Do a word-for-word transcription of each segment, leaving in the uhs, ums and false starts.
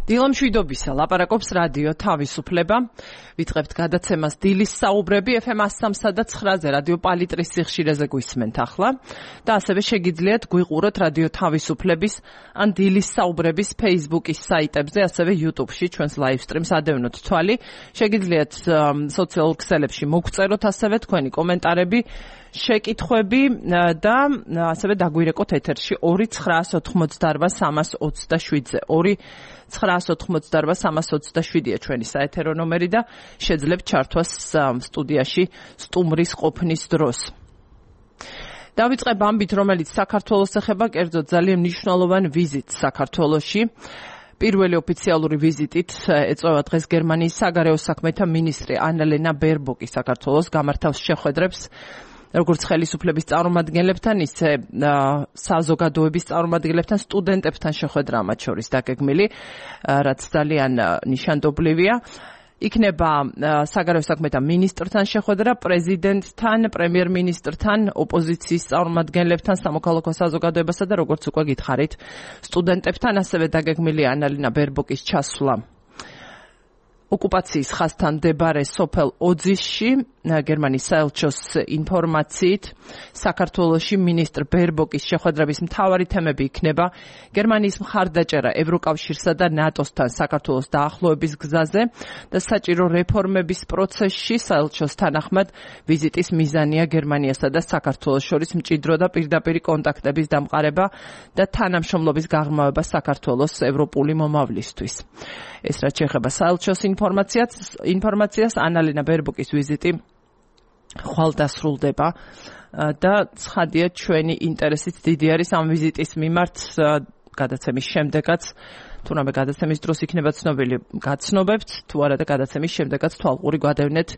დილამშვიდობისა ლაპარაკობს რადიო თავისუფლება. ვიწყებთ გადაცემას დილის საუბრები ეფ ემ სამსა და ცხრაზე რადიო პალიტრის სიხშირეზე გვისმენთ ახლა და ასევე შეგიძლიათ გვიყუროთ რადიო თავისუფლების ან დილის საუბრების Facebook-ის საიტებზე, ასევე YouTube-ში ჩვენს live stream-ს ადევნოთ თვალი. შეგიძლიათ სოციალურ ქსელებში მოგწეროთ ასევე თქვენი კომენტარები, შეკითხვები და ასევე დაგვირეკოთ ეთერში ორი ცხრაას ოთხმოცდაარბა სამას ოცდაშვიდზე. ორი ცხრაას ოთხმოცდაარბა სამას ოცდაშვიდია ჩვენი საეთერო ნომერი და შეძლებთ ჩართვას სტუდიაში სტუმრის ყოფნის დროს. დავიწყებ ამბით, რომელიც საქართველოს ეხება, კერძოდ ძალიან მნიშვნელოვან ვიზიტს საქართველოში. პირველი ოფიციალური ვიზიტით ეწევა დღეს გერმანიის საგარეო საქმეთა მინისტრი ანალენა ბერბოკი საქართველოს, გამართავს შეხვედრებს როგორც ხელისუფლების წარმომადგენლებთან, ისე საზოგადოების წარმომადგენლებთან, სტუდენტებთან შეხვედრა მათ შორის დაგეგმილი, რაც ძალიან ნიშანდობლივია. იქნება საგარეო საქმეთა მინისტრთან შეხვედრა, პრეზიდენტთან, პრემიერ-მინისტრთან, ოპოზიციის წარმომადგენლებთან, სამოქალაქო საზოგადოებასა და როგორც უკვე გითხარით, სტუდენტებთან. ასევე დაგეგმილია ანალენა ბერბოკის ჩასვლა ოკუპაციის ხაზთან მდებარე სოფელ ოძისში. გერმანიის საელჩოს ინფორმაციით, საქართველოში მინისტრ ბერბოკის შეხვედრების მთავარი თემები იქნება გერმანიის მხარდაჭერა ევროკავშირსა და ნატოსთან საქართველოს დაახლოების გზაზე და საჭირო რეფორმების პროცესში. საელჩოს თანახმად ვიზიტის მიზანია გერმანიასა და საქართველოს შორის მჭიდრო და პირდაპირი კონტაქტების დამყარება და თანამშრომლობის გაღრმავება საქართველოს ევროპული მომავლისთვის. ეს რაც შეეხება საელჩოს ინფორმაციას, ინფორმაციას ანალენა ბერბოკის ვიზიტი ხვალ დასრულდება და ცხადია ჩვენი ინტერესით დიდი არის ამ ვიზიტის მიმართ. გადაცემის შემდეგაც, თუნდაც გადაცემის დროს იქნება ცნობილი, გაცნობებთ, თუ არა და გადაცემის შემდეგაც თვალყური გადავნეთ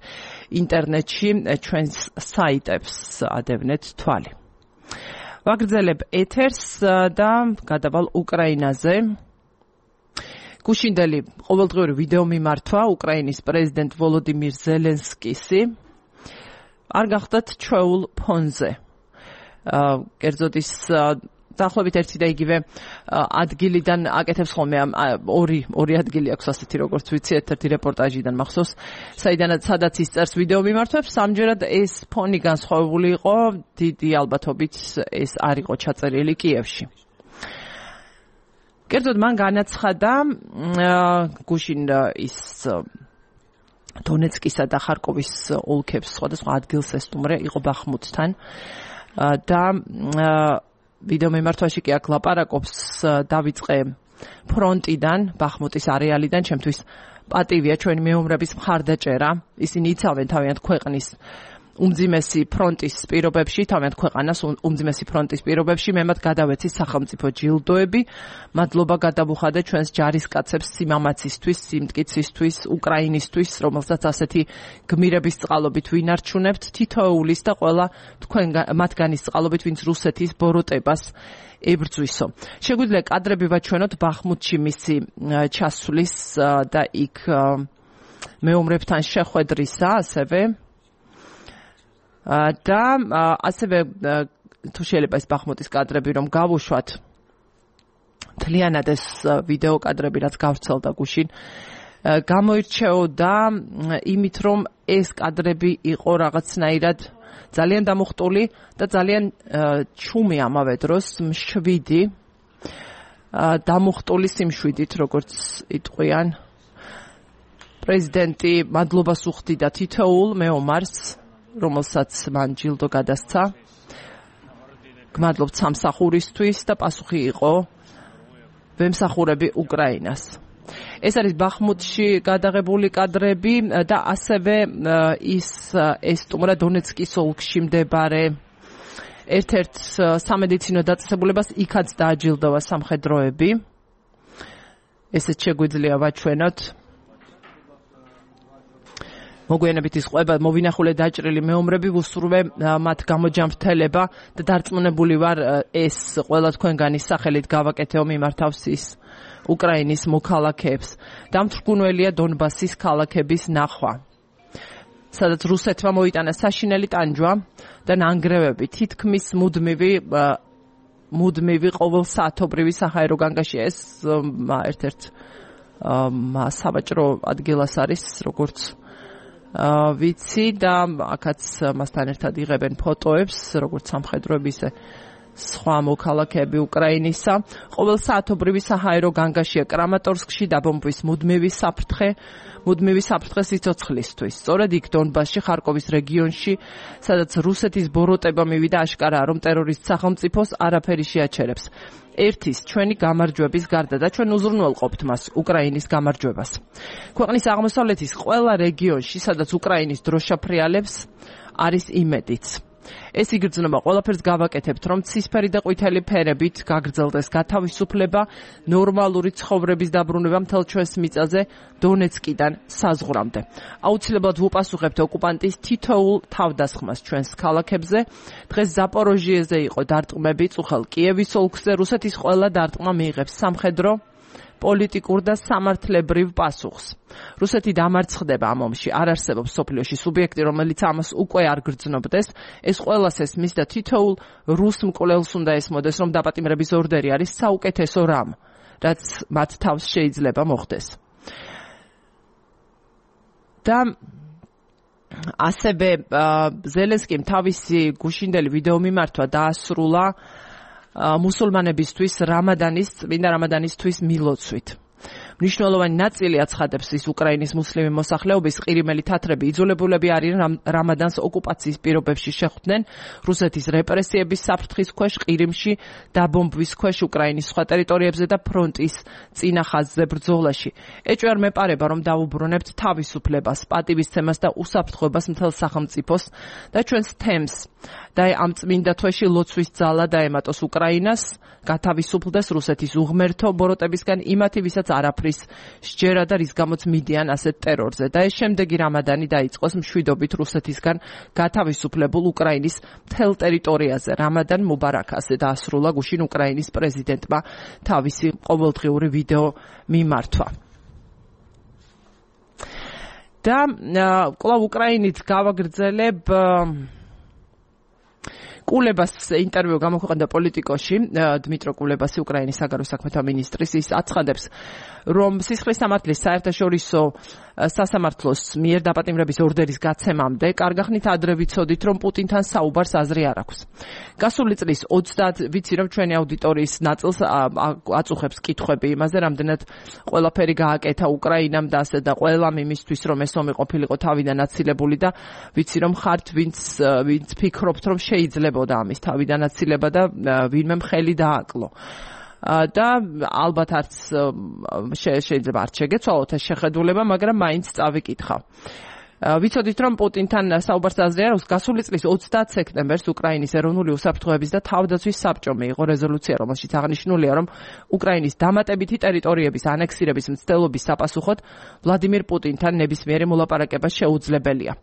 ინტერნეტში, ჩვენს საიტებს ადევნეთ თვალი. ვაგრძელებ ეთერს და გადავალ უკრაინაზე. გუშინდელი ყოველდღიური ვიდეო მიმართვა უკრაინის პრეზიდენტ ვოლოდიმირ ზელენსკისი არ გახდათ ჩვეულ ფონზე. კერძოდ ის დაახლოებით ერთი და იგივე ადგილიდან აკეთებს ხოლმე ორი ორი ადგილი აქვს ასეთი, როგორც ვიცი, ერთ-ერთი რეპორტაჟიდან მახსოვს, საიდანაც სადაც ის წერს ვიდეო მიმართვებს. ამჯერად ეს ფონი განსხვავებული იყო, დიდი ალბათობით ეს არ იყო ჩაწერილი კიევში. კერძოდ მან განაცხადა გუშინ ის დონეცკისა და ხარკოვის ოლქებს სხვადასხვა ადგილს ესტუმრე, იყო ბახმუტთან და ვიდეო მიმართვაში კი აქ ლაპარაკობს, დავიწყე ფრონტიდან, ბახმუტის არეალიდან, ჩემთვის პატივია ჩვენი მეომრების მხარდაჭერა. ისინი იცავენ თავიანთ ქვეყნის უმძიმესი ფრონტის პირობებში, თავიანთ ქვეყანას უმძიმესი ფრონტის პირობებში, მე მათ გადავეცი სახელმწიფო ჯილდოები. მადლობა გადავუხადე ჩვენს ჯარისკაცებს სიმამაცისთვის, სიმტკიცისთვის, უკრაინისთვის, რომელსაც ასეთი გმირების წყალობით ვინარჩუნებთ, თითოეულის და ყველა თქვენ მათგანის წყალობით, ვინც რუსეთის ბოროტებას ებრძვისო. შეგვიძლია კადრები ვაჩვენოთ ბახმუტში მისი ჩასვლის და იქ მეომრებთან შეხვედრისა, ასევე და ასევე თუ შეიძლება ეს ბახმუტის კადრები რომ გავუშვათ, მთლიანად ეს ვიდეო კადრები რაც გავრცელდა გუშინ, გამოირჩეოდა იმით, რომ ეს კადრები იყო რაღაცნაირად ძალიან დამუხტული და ძალიან ჩუმი ამავე დროს, მშვიდი, დამუხტული სიმშვიდით, როგორც იტყვიან. პრეზიდენტი მადლობას უხდიდა თითოეულ მეომარს, რომელსაც მან ჯილდო გადასცა. გმადლობთ სამსახურისთვის და პასუხი იყო ვემსახურები უკრაინას. ეს არის ბახმუტში გადაღებული კადრები და ასევე ის ესტუმრა დონეცკის ოლქში მდებარე ერთ-ერთ სამედიცინო დაწესებულებას, იქაც დააჯილდოვა სამხედროები. ესეც შეგვიძლია ვაჩვენოთ. მოგვიანებით ის ყვება მოვინახულე დაჭრილი მეომრები, ვუსურვე მათ გამოჯანმრთელება და დარწმუნებული ვარ ეს ყველა თქვენგანი სახელით გავაკეთეო მიმართავს ის უკრაინის მოქალაქეებს. დამთრგუნველია დონბასის ქალაქების ნახვა, სადაც რუსეთმა მოიტანა საშინელი ტანჯვა და ნანგრევები, თითქმის მუდმივი მუდმივი ყოველსაათობრივი საჰაერო განგაშია. ეს ერთ-ერთ საბაჭრო ადგილას არის, როგორც ვიცი და აქაც მასთან ერთად იღებენ ფოტოებს, როგორც სამხედროების სხვა მოქალაქეები უკრაინისა. ყოველ საათობრივი საჰაერო განგაშია კრამატორსკში დაბომბვის მუდმივი საფრთხე, მუდმივი საფრთხე სიცოცხლისთვის. სწორედ იქ დონბასში, ხარკოვის რეგიონში, სადაც რუსეთის ბოროტება მივიდა, აშკარაა, რომ ტერორისტ სახელმწიფოს არაფერი შეაჩერებს. ერთის ჩვენი გამარჯვების გარდა და ჩვენ უზრუნველყოფთ მას უკრაინის გამარჯვებას. ქვეყნის აღმოსავლეთის ყველა რეგიონში, სადაც უკრაინის დროშა ფრიალებს, არის იმედიც. ეს იგრძნობა, ყველაფერს გავაკეთებთ, რომ ცისფერი და ყვითელი ფერებით გაგრძელდეს გათავისუფლება, ნორმალური ცხოვრების დაბრუნება მთელ ჩვენს მიწაზე დონეცკიდან საზღვრამდე. აუცილებლად ვუპასუხებთ ოკუპანტის თითოეულ თავდასხმას ჩვენს ქალაქებზე. დღეს ზაპოროჟიეზე იყო დარტყმები, წუხელ კიევის ოლქზე რუსეთის ყველა დარტყმა მიიღებს სამხედრო, პოლიტიკურ და სამართლებრივ პასუხს. რუსეთი დამარცხდება ამ ომში, არ არსებობს სოფლიოში სუბიექტი, რომელიც ამას უკვე არ გრძნობდეს. ეს ყველას ესმის და თითოეულ რუს მკვლელს უნდა ესმოდეს, რომ დაპატიმრების ორდერი არის საუკეთესო რამ, რაც მათ თავს შეიძლება მოხდეს. და ასევე ზელენსკიმ თავისი გუშინდელი ვიდეო მიმართვა დაასრულა მუსულმანებისთვის რამადანის, წმინდა რამადანისთვის მილოცვით. მნიშვნელოვანი ნაწილი აცხადებს ის უკრაინის მუსლიმი მოსახლეობის ყირიმელი თათრები იძულებულები არიან რამადანს ოკუპაციის პირობებში შეხვდნენ რუსეთის რეპრესიების საფრთხის ქვეშ ყირიმში, დაბომბვის ქვეშ უკრაინის სხვა ტერიტორიებზე და ფრონტის წინა ხაზზე ბრძოლაში. ეჭვი არ მეპარება, რომ დავუბრუნებთ თავისუფლებას, პატივისცემას და უსაფრთხოებას მთელ სახელმწიფოს და ჩვენს თემს და ამ წმინდა თვეში ლოცვის ძალა დაემატოს უკრაინას, გათავისუფლდეს რუსეთის უღმერთო ბოროტებისგან იმათი, ვისაც არაფრის სჯერა და რის გამოც მიდიან ასეთ ტერორზე. და ეს შემდეგი რამადანი დაიწყოს მშვიდობით რუსეთისგან გათავისუფლებულ უკრაინის მთელ ტერიტორიაზე. რამადან მუბარაკ, ასე დაასრულა გუშინ უკრაინის პრეზიდენტმა თავისი ყოველდღიური ვიდეო მიმართვა. და კვლავ უკრაინით გავაგრძელებ კულებას ინტერვიუ გამოქვეყნდა პოლიტიკოში, დმიტრო კულებასი, უკრაინის საგარეო საქმეთა მინისტრის, ის აცხადებს, რომ სისხლის სამართლის საერთაშორისო სასამართლოს მიერ დაპატიმრების ორდერის გაცემამდე კარგახნით ადრე ვიცოდით, რომ პუტინთან საუბარს აზრი არ აქვს. გასული წლის ოცდაათი ვიცი, რომ ჩვენი აუდიტორიის ნაწილს აწუხებს კითხვები იმაზე, რამდენად ყველაფერი გააკეთა უკრაინამ და ასე და ყველამ იმისთვის, რომ ეს ომი ყოფილიყო თავიდან აცილებული და ვიცი, რომ ხართ ვინც ვინც ფიქრობთ, რომ შეიძლებოდა ამის თავიდან აცილება და ვინმე მხელი დააკლო. და ალბათ არც შეიძლება არ შეგეცვალოთ ეს შეხედულება, მაგრამ მაინც წავიკითხავ. ვიცოდით, რომ პუტინთან საუბარს აზრი არ აქვს. გასული წლის ოცდაათი სექტემბერს უკრაინის ეროვნული უსაფრთხოების და თავდაცვის საბჭომ მიიღო რეზოლუცია, რომელშიც აღნიშნულია, რომ უკრაინის დამატებითი ტერიტორიების ანექსირების მცდელობის საპასუხოდ ვლადიმირ პუტინთან ნებისმიერი მოლაპარაკება შეუძლებელია.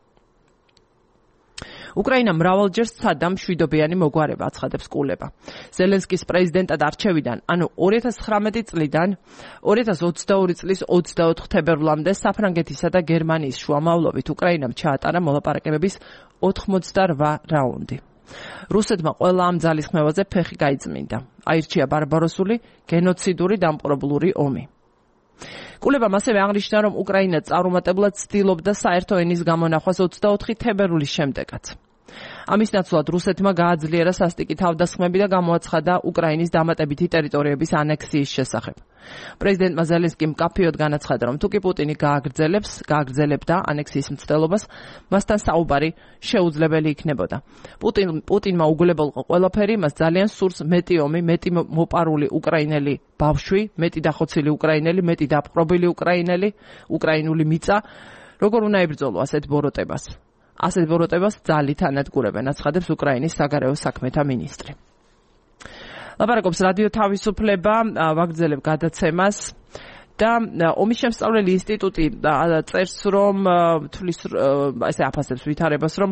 უკრაინა მრავალჯერ სცადა მშვიდობიანი მოგვარება, აცხადებს კულება. ზელენსკის პრეზიდენტად არჩევიდან, ანუ ორი ათას ცხრამეტი წლიდან ორი ათას ოცდაორი წლის ოცდაოთხ თებერვლამდე საფრანგეთისა და გერმანიის შუამავლობით უკრაინამ ჩაატარა მოლაპარაკებების ოთხმოცდარვა რაუნდი. რუსეთმა ყველა ამ ძალისხმევაზე ფეხი გაიწმინდა. აირჩია ბარბაროსული, გენოციდური, დამპყრობლური ომი. კულებამ ასევე აღნიშნა, რომ უკრაინა წარუმატებლად ცდილობდა საერთო ენის გამონახვას ოცდაოთხი თებერვლის შემდეგაც. ამის ნაცვლად რუსეთმა გააძლიერა სასტიკი თავდასხმები და გამოაცხადა უკრაინის დამატებითი ტერიტორიების ანექსიის შესახებ. პრეზიდენტმა ზელენსკიმ მკაფიოდ განაცხადა, რომ თუკი პუტინი გააგრძელებს, გააგრძელებდა ანექსიის მცდელობას, მასთან საუბარი შეუძლებელი იქნებოდა. პუტინ პუტინმა უგულებელყო ყველაფერი, მას ძალიან სურს მეტი ომი, მეტი მოპარული უკრაინელი ბავშვი, მეტი დახოცილი უკრაინელი, მეტი დაპყრობილი უკრაინელი, უკრაინული მიწა, როგორ უნდა ებრძოლო ასეთ ბოროტებას. ასეთ ბოროტებას ძალით ანადგურებენ, აცხადებს უკრაინის საგარეო საქმეთა მინისტრი. ლაპარაკობს რადიო თავისუფლება, ვაგრძელებ გადაცემას და ომის შემსწავლელი ინსტიტუტი წერს, რომ თulis ესე აფასებს ვითარებას, რომ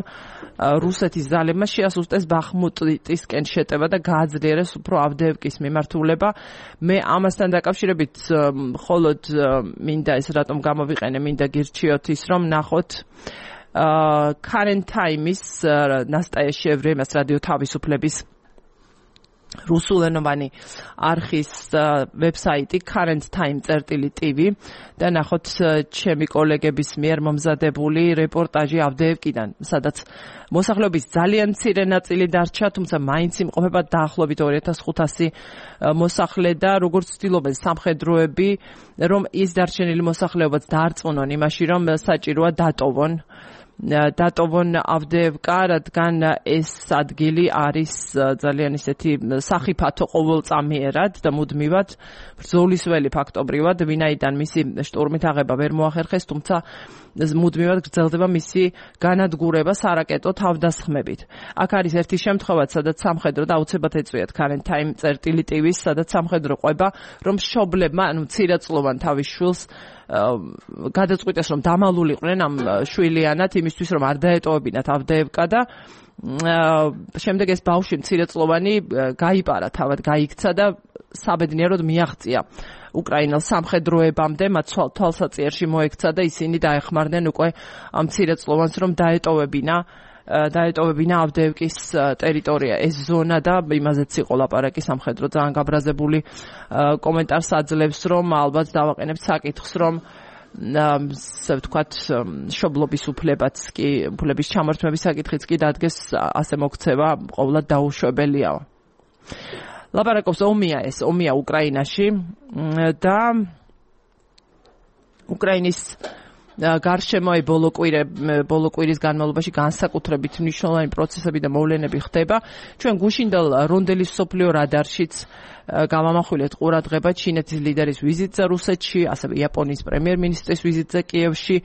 რუსეთის ძალებმა შეასუსტეს ბახმუტისკენ შეტევა და გააძლიერეს უფრო ავდეევკის მიმართულება. მე ამასთან დაკავშირებით მხოლოდ მინდა ეს რატომ გამოვიყენე, მინდა გირჩიოთ ის, რომ ნახოთ Current Time-ის ნასტაია შევრე მას რადიო თავისუფლების რუსულენოვანი არხის ვებსაიტი current time წერტილი tv და ნახოთ ჩემი კოლეგების მიერ მომზადებული რეპორტაჟი ავდეევკიდან, სადაც მოსახლეობის ძალიან მცირე ნაწილი დარჩა, თუმცა მაინც იმყოფება დაახლოებით ორი ათას ხუთასი მოსახლე და როგორც ცდილობენ სამხედროები, რომ ის დარჩენილი მოსახლეობაც დაარწმუნონ იმაში, რომ საჭიროა დატოვონ დატოვონ ავდეევკა, რადგან ეს ადგილი არის ძალიან ისეთი სახიფათო ყოველწამიერად და მუდმივად ბრძოლისველი ფაქტობრივად, ვინაიდან მისი შტურმით აღება ვერ მოახერხეს, თუმცა მუდმივად გრძელდება მისი განადგურება სარაკეტო თავდასხმებით. აქ არის ერთი შემთხვევა, სადაც სამხედრო და აუცილებლად ეწვიათ current time წერტილი tv-ს, სადაც სამხედრო ყვება, რომ მშობლებმა, ანუ მცირეწლოვან თავის შვილს გადაწყვიტეს, რომ დამალულიყვნენ ამ შვილიანად იმისთვის, რომ არ დაეტოვებინათ ავდეევკა და შემდეგ ეს ბავშვი მცირეწლოვანი გაიპარა, თავად გაიქცა და საბედნიეროდ მიაღწია უკრაინელ სამხედროებამდე, მათ თვალსაწიერში მოექცა და ისინი დაეხმარნენ უკვე ამ მცირეწლოვანს, რომ დაეტოვებინა დაეტოვებინა ავდეევკის ტერიტორია, ეს ზონა და იმაზეც იყო ლაპარაკი სამხედრო ძალიან გაბრაზებული კომენტარს აძლევს, რომ ალბათ დავაყენებთ საკითხს, რომ ასე ვთქვათ, მშობლობის უფლებაც კი, უფლების ჩამორთმების საკითხიც კი დადგეს, ასე მოქცევა ყოვლად დაუშვებელია. ლაპარაკობს ომია ეს, ომია უკრაინაში და უკრაინის გარშემო ბოლო კვირე ბოლო კვირის განმავლობაში განსაკუთრებით მნიშვნელოვანი პროცესები და მოვლენები ხდება. ჩვენ გუშინდელ რონდელის სოფლიო რადარშიც გამამახვილეთ ყურადღება ჩინეთის ლიდერის ვიზიტზე რუსეთში, ასევე იაპონიის პრემიერ-მინისტრის ვიზიტზე კიევში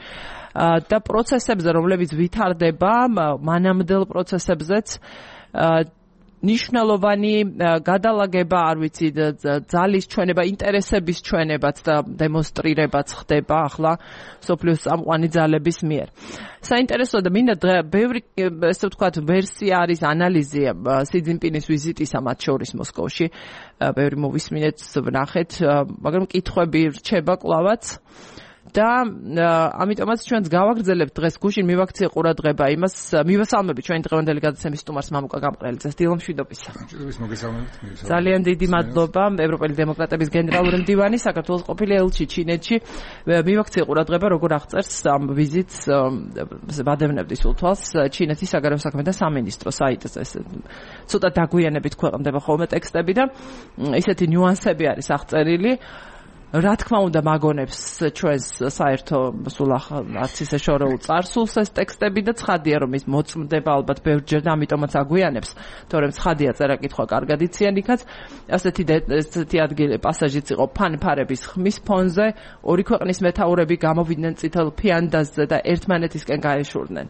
და პროცესებზე, რომლებიც ვითარდება, მანამდელ პროცესებზეც ნიშნულოვანი გადალაგება, არ ვიცი, ძალის ჩვენება, ინტერესების ჩვენებაც და დემონსტრირებაც ხდება ახლა სოფლიოს წამყვანი ძალების მიერ. საინტერესოა და მინდა ბევრი, ესე ვთქვათ, ვერსია არის, ანალიზია სი ძინპინის ვიზიტისა, მათ შორის მოსკოვში. ბევრი მოვისმინეთ, ვნახეთ, მაგრამ კითხვები რჩება კლავაც. და ამიტომაც ჩვენც გავაგრძელებთ დღეს გუშინ მივაქციე ყურადღება იმას, მივესალმებით ჩვენი დღევანდელი გადაცემის სტუმარს მამუკა გამყრელიძეს. დილომშვიდობისა. ძალიან დიდი მადლობა ევროპელი დემოკრატების გენერალური მდივანი, საქართველოს ყოფილი ელჩი ჩინეთში. მივაქციე ყურადღება, როგორ აღწერს ამ ვიზიტს, ვადევნებდი სულ თვალს, ჩინეთის საგარეო საქმეთა სამინისტრო საიტზე. ცოტა დაგვიანებით ქვეყნდება ხოლმე ტექსტები და ისეთი ნიუანსები არის აღწერილი. რა თქმა უნდა მაგონებს ჩვენს საერთო სულ არც ისე შორეულ წარსულს ეს ტექსტები და ცხადია რომ ის მოწმდება ალბათ ბევრჯერ და ამიტომაც აგვიანებს, თორემ ცხადია წერა-კითხვა კარგად იციან იქაც. ასეთი ესეთი ადგილი პასაჟიც იყო ფანფარების ხმის ფონზე, ორი ქვეყნის მეთაურები გამოვიდნენ წითელ ფიანდაზზე და ერთმანეთისკენ გაეშურნენ.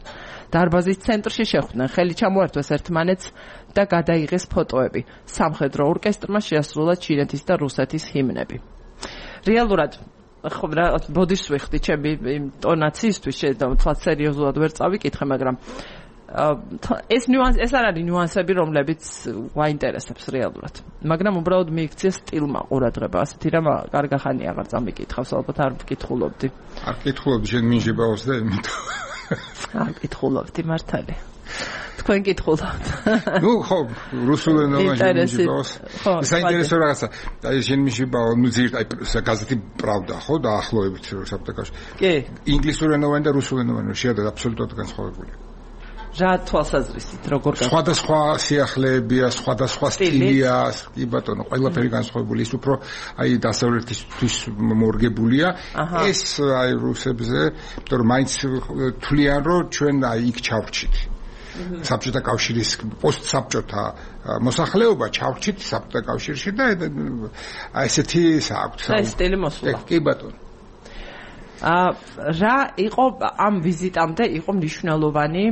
დარბაზის ცენტრში შეხვდნენ, ხელი ჩამოართვეს ერთმანეთს და გადაიღეს ფოტოები. სამხედრო ორკესტრმა შეასრულა ჩინეთის და რუსეთის ჰიმნები. რეალურად ხო რა ბოდიშს ვიხდი ჩემი ტონაციისთვის შეიძლება სერიოზულად ვერ წავიკითხე, მაგრამ ეს ნიუანს ეს არ არის ნიუანსები, რომლებიც გვაინტერესებს რეალურად. მაგრამ უბრალოდ მიიქცია სტილმა ყურადღება, ასეთი რამ კარგახანი აღარ წამიკითხავს, ალბათ არ ვკითხულობდი. არ ვკითხულობდი, შენ მინჟიბაოს და იმიტომ. არ ვკითხულობდი მართალი. თქვენ კითხულობთ. ნუ ხო, რუსულენოვანი მინჟიბაოს. საინტერესო რაღაცა. აი შენ მინჟიბაო, ნუ ზირ აი გაზეთი პრავდა, ხო, დაახლოებით საბჭოთაშ. კი. ინგლისურენოვანი და რუსულენოვანი შეადად აბსოლუტურად განსხვავებულია. რა თვალსაზრისით, როგორ გა? სხვადასხვა სიახლეებია, სხვადასხვა სტილია, კი ბატონო, ყველაფერი განსხვავებული. ის უფრო აი დასავლეთისთვის მორგებულია. ეს აი რუსებზე, იმიტომ რომ მაინც თვლიან, რომ ჩვენ აი იქ ჩავრჩით. საბჭოთა კავშირის პოსტსაბჭოთა მოსახლეობა ჩავრჩით საბჭოთა კავშირში და აი ესეთი საერთოდ სტილი მოსულა. კი ბატონო. ა რა იყო ამ ვიზიტამდე იყო მნიშვნელოვანი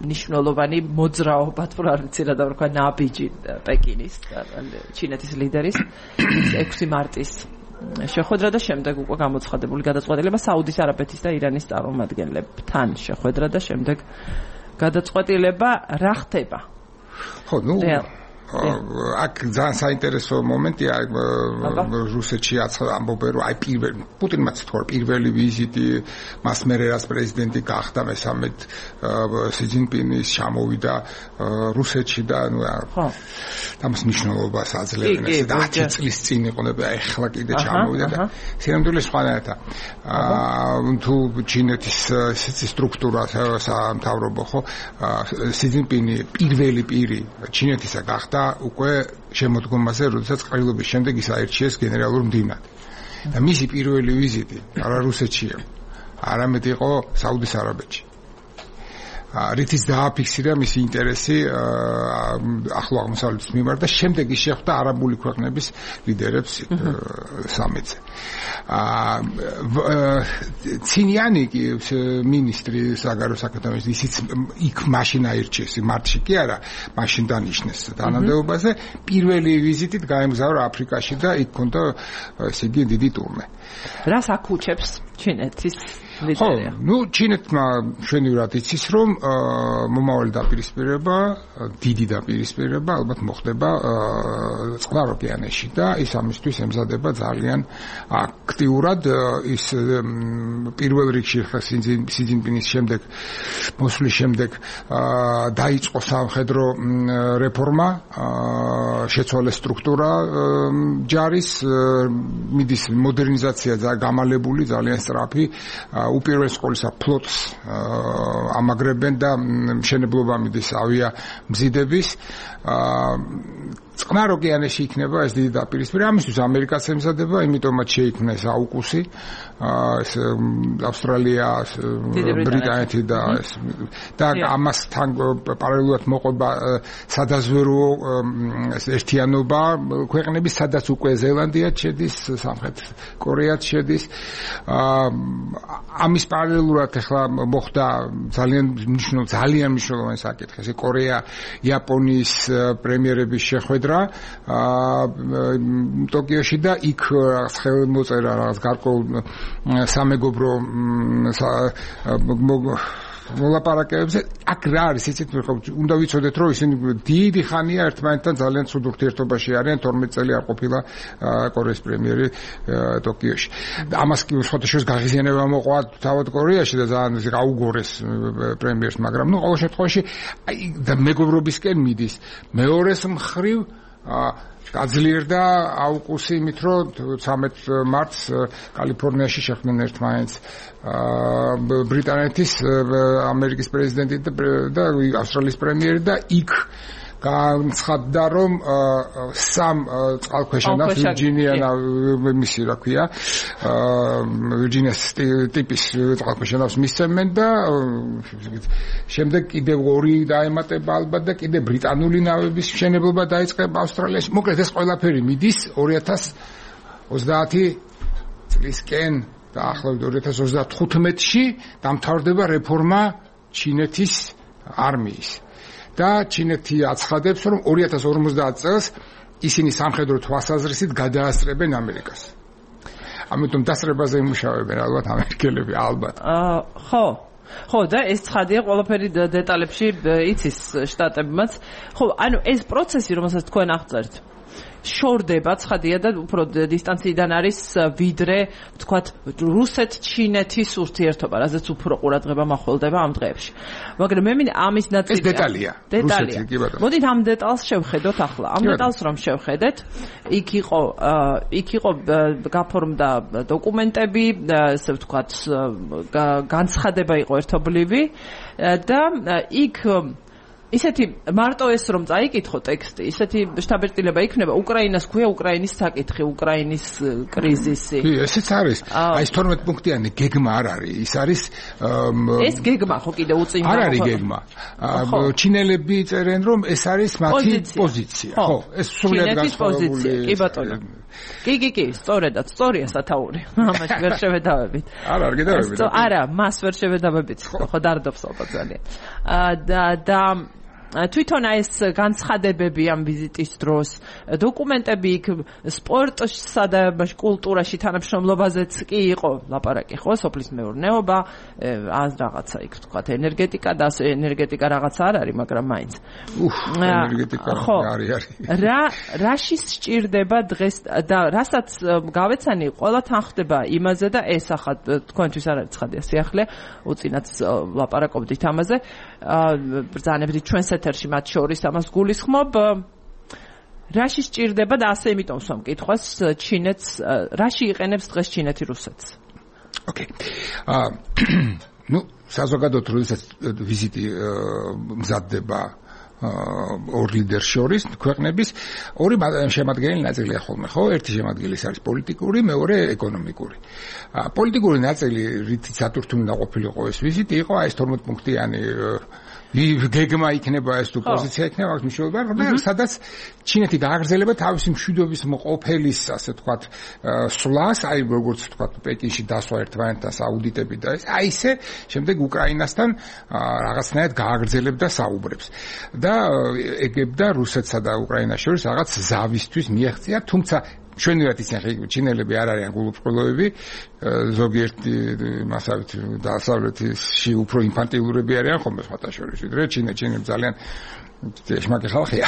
მნიშვნელოვანი მოძრაობა, თუ არ ვიცი რა დავარქვა, ნაბიჯი პეკინის ჩინეთის ლიდერის ექვსი მარტის შეხვედრა და შემდეგ უკვე გამოცხადებული გადაწყვეტილება საუდის არაბეთის და ირანის წარმომადგენლებთან შეხვედრა და შემდეგ გადაწყვეტილება რა ხდება? ხო, ნუ აქ ძალიან საინტერესო მომენტია რუსეთში ამბობენ რომ აი პირველი პუტინმაც თქვა პირველი ვიზიტი მას მერე რაც პრეზიდენტი გახდა მესამედ სი ძინპინის ჩამოვიდა რუსეთში და ნუ ამას მნიშვნელობას აძლევენ ესე და ათი წლის წინ იყონება ეხლა კიდე ჩამოვიდა და სიამდვილე სხვანაირად თუ ჩინეთის სტრუქტურა სამთავრობო ხო სი ძინპინი პირველი პირი ჩინეთისა გახდა უკვე შემოდგომაზე, როდესაც ყრილობის შემდეგ ის აირჩიეს გენერალურ მდივნად. და მისი პირველი ვიზიტი არა რუსეთშია, არამედ იყო საუდის არაბეთში. რითიც დააფიქსირა მისი ინტერესი ახლო აღმოსავლეთის მიმართ და შემდეგ ის შეხვდა არაბული ქვეყნების ლიდერებს სამეთზე. ცინიანი კი მინისტრი საგარეო საქმეთა მინისტრი ისიც იქ მაშინ აირჩიეს, მარტში კი არა, მაშინ დანიშნეს თანამდებობაზე, პირველი ვიზიტით გაემგზავრა აფრიკაში და იქ ჰქონდა ესე იგი დიდი ტურნე. რას აკუჩებს ჩინეთის ხო, ну, ჩინეთმა შვენივრად იცის, რომ მომავალი დაპირისპირება, დიდი დაპირისპირება ალბათ მოხდება წყნარ ოკეანეში და ის ამისთვის ემზადება ძალიან აქტიურად. ის პირველ რიგში სი ძინპინის შემდეგ, მოსვლის შემდეგ დაიწყო სამხედრო რეფორმა, შეცვალეს სტრუქტურა ჯარის, მიდის მოდერნიზაცია გამალებული, ძალიან სწრაფი. უპირველეს ყოვლისა ფლოტს ამაგრებენ და მშენებლობა მიდის ავია მზიდების წყნარ ოკეანეში იქნება ეს დიდი დაპირისპირება. ამისთვის ამერიკაც ემზადება, იმიტომაც შეიქმნა ეს აუკუსი, ეს ავსტრალია, ბრიტანეთი და ეს და ამასთან პარალელურად მოყვება სადაზვერვო ერთიანობა ქვეყნების, სადაც უკვე ზელანდია შედის, სამხრეთ კორეაც შედის. ამის პარალელურად ახლა მოხდა ძალიან მნიშვნელოვანი ძალიან მნიშვნელოვანი საკითხი, ეს კორეა იაპონიის პრემიერების შეხვედრა ტოკიოში და იქ ხელმოწერა რაღაც გარკვეულ სამეგობრო მოლაპარაკებებზე. აქ რა არის იცით, უნდა ვიცოდეთ, რომ ისინი დიდი ხანია ერთმანეთთან ძალიან ცუდ ურთიერთობაში არიან, თორმეტ წელი არ ყოფილა კორეის პრემიერი ტოკიოში. ამას კი სხვადასხვა გაღიზიანება მოყვა თავად კორეაში და ძალიან გაუგორეს პრემიერს, მაგრამ ნუ ყოველ შემთხვევაში აი და მეგობრობისკენ მიდის. მეორეს მხრივ გაძლიერდა აუკუსი იმით, რომ ცამეტ მარტს კალიფორნიაში შეხვდნენ ერთმანეთს ბრიტანეთის, ამერიკის პრეზიდენტი და ავსტრალიის პრემიერი და იქ განცხადდა, რომ სამ წყალქვეშანავს ვირჯინია მისი რა ქვია ვირჯინიას ტიპის წყალქვეშანავს მისცემენ და შემდეგ კიდევ ორი დაემატება ალბათ და კიდევ ბრიტანული ნავების მშენებლობა დაიწყება ავსტრალიაში. მოკლედ ეს ყველაფერი მიდის ორი ათას ოცდაათი წლისკენ და ახლავე ორი ათას ოცდათხუთმეტში დამთავრდება რეფორმა ჩინეთის არმიის. და ჩინეთი აცხადებს, რომ ორი ათას ორმოცდაათ წელს ისინი სამხედრო თვალსაზრისით გადაასწრებენ ამერიკას. ამიტომ დასწრებაზე იმუშავებენ ალბათ ამერიკელები, ალბათ. აა ხო. ხო და ეს ცხადია ყველაფერი დეტალებში იცის შტატებმაც. ხო, ანუ ეს პროცესი, რომელსაც თქვენ აღწერთ, შორდება ცხადია და უფრო დისტანციიდან არის ვიდრე ვთქვათ რუსეთ-ჩინეთის ურთიერთობა, რაზეც უფრო ყურადღება მახველდება ამ დღეებში. მაგრამ მე მინდა ამის ნაწილი ეს დეტალია. დეტალია. მოდით ამ დეტალს შევხედოთ ახლა. ამ დეტალს რომ შევხედეთ, იქ იყო იქ იყო გაფორმდა დოკუმენტები, ასე ვთქვათ განცხადება იყო ერთობლივი და იქ ისეთი მარტო ეს რომ წაიკითხო ტექსტი, ისეთი შთაბეჭდილება იქნება უკრაინას ქვია უკრაინის საკითხი, უკრაინის კრიზისი. კი, ესეც არის. აი ეს თორმეტ პუნქტიანი გეგმა არ არის. ის არის ეს გეგმა ხო კიდე უწინდა. არ არის გეგმა. ჩინელები წერენ რომ ეს არის მათი პოზიცია. ხო, ეს სულად განსხვავებული. კი ბატონო. კი, კი, კი, სწორედაც, სწორია სათაური. ამაში ვერ შევედავებით. არა, არ გედავებით. არა, მას ვერ შევედავებით. ხო, დარდობს ალბათ ძალიან. და და თვითონ ეს განცხადებები ამ ვიზიტის დროს, დოკუმენტები იქ სპორტსა და კულტურაში თანამშრომლობაზეც კი იყო ლაპარაკი, ხო, სოფლის მეურნეობა, ან რაღაცა იქ თქვა ენერგეტიკა და ენერგეტიკა რაღაცა არ არის, მაგრამ მაინც. უხ, ენერგეტიკა არის არის. რა რაში სჭირდება დღეს და რასაც გავეცანი, ყველა თან ხდება იმაზე და ეს ახლა თქვენთვის არ არის ცხადია სიახლე, უწინაც ლაპარაკობდით ამაზე. ბრძანებდით ჩვენს ეთერში მათ შორის ამას გულისხმობ. რაში სჭირდება და ასე იმიტომ სვამ კითხვას ჩინეთს, რაში იყენებს დღეს ჩინეთი რუსეთს? ოკეი. აა ნუ საზოგადოოდ როდესაც ვიზიტი მზადდება ორ ლიდერ შორის ქვეყნების ორი შემადგენელი ნაწილია ხოლმე, ხო? ერთი შემადგენელი არის პოლიტიკური, მეორე ეკონომიკური. პოლიტიკური ნაწილი, რითიც ატვირთული დაყოფილიყო ეს ვიზიტი, იყო აი ეს თორმეტ პუნქტიანი გეგმა იქნება ეს თუ პოზიცია იქნება აქვს მნიშვნელობა, მაგრამ სადაც ჩინეთი გააგრძელება თავისი მშვიდობის მყოფელის, ასე ვთქვათ, სვლას, აი როგორც ვთქვათ, პეკინში დასვა ერთმანეთთან აუდიტები და ეს, აი ესე, შემდეგ უკრაინასთან რაღაცნაირად გააგრძელებდა საუბრებს. და ეგებდა რუსეთსა და უკრაინას შორის რაღაც ზავისთვის მიაღწია, თუმცა ჩვენივად ისინი ჩინელები არ არიან გულუბრყვილოები, ზოგიერთი მასავით დასავლეთში უფრო ინფანტილურები არიან ხოლმე სხვათა შორის, ვიდრე ჩინელები ძალიან შეშმაკი ხალხია.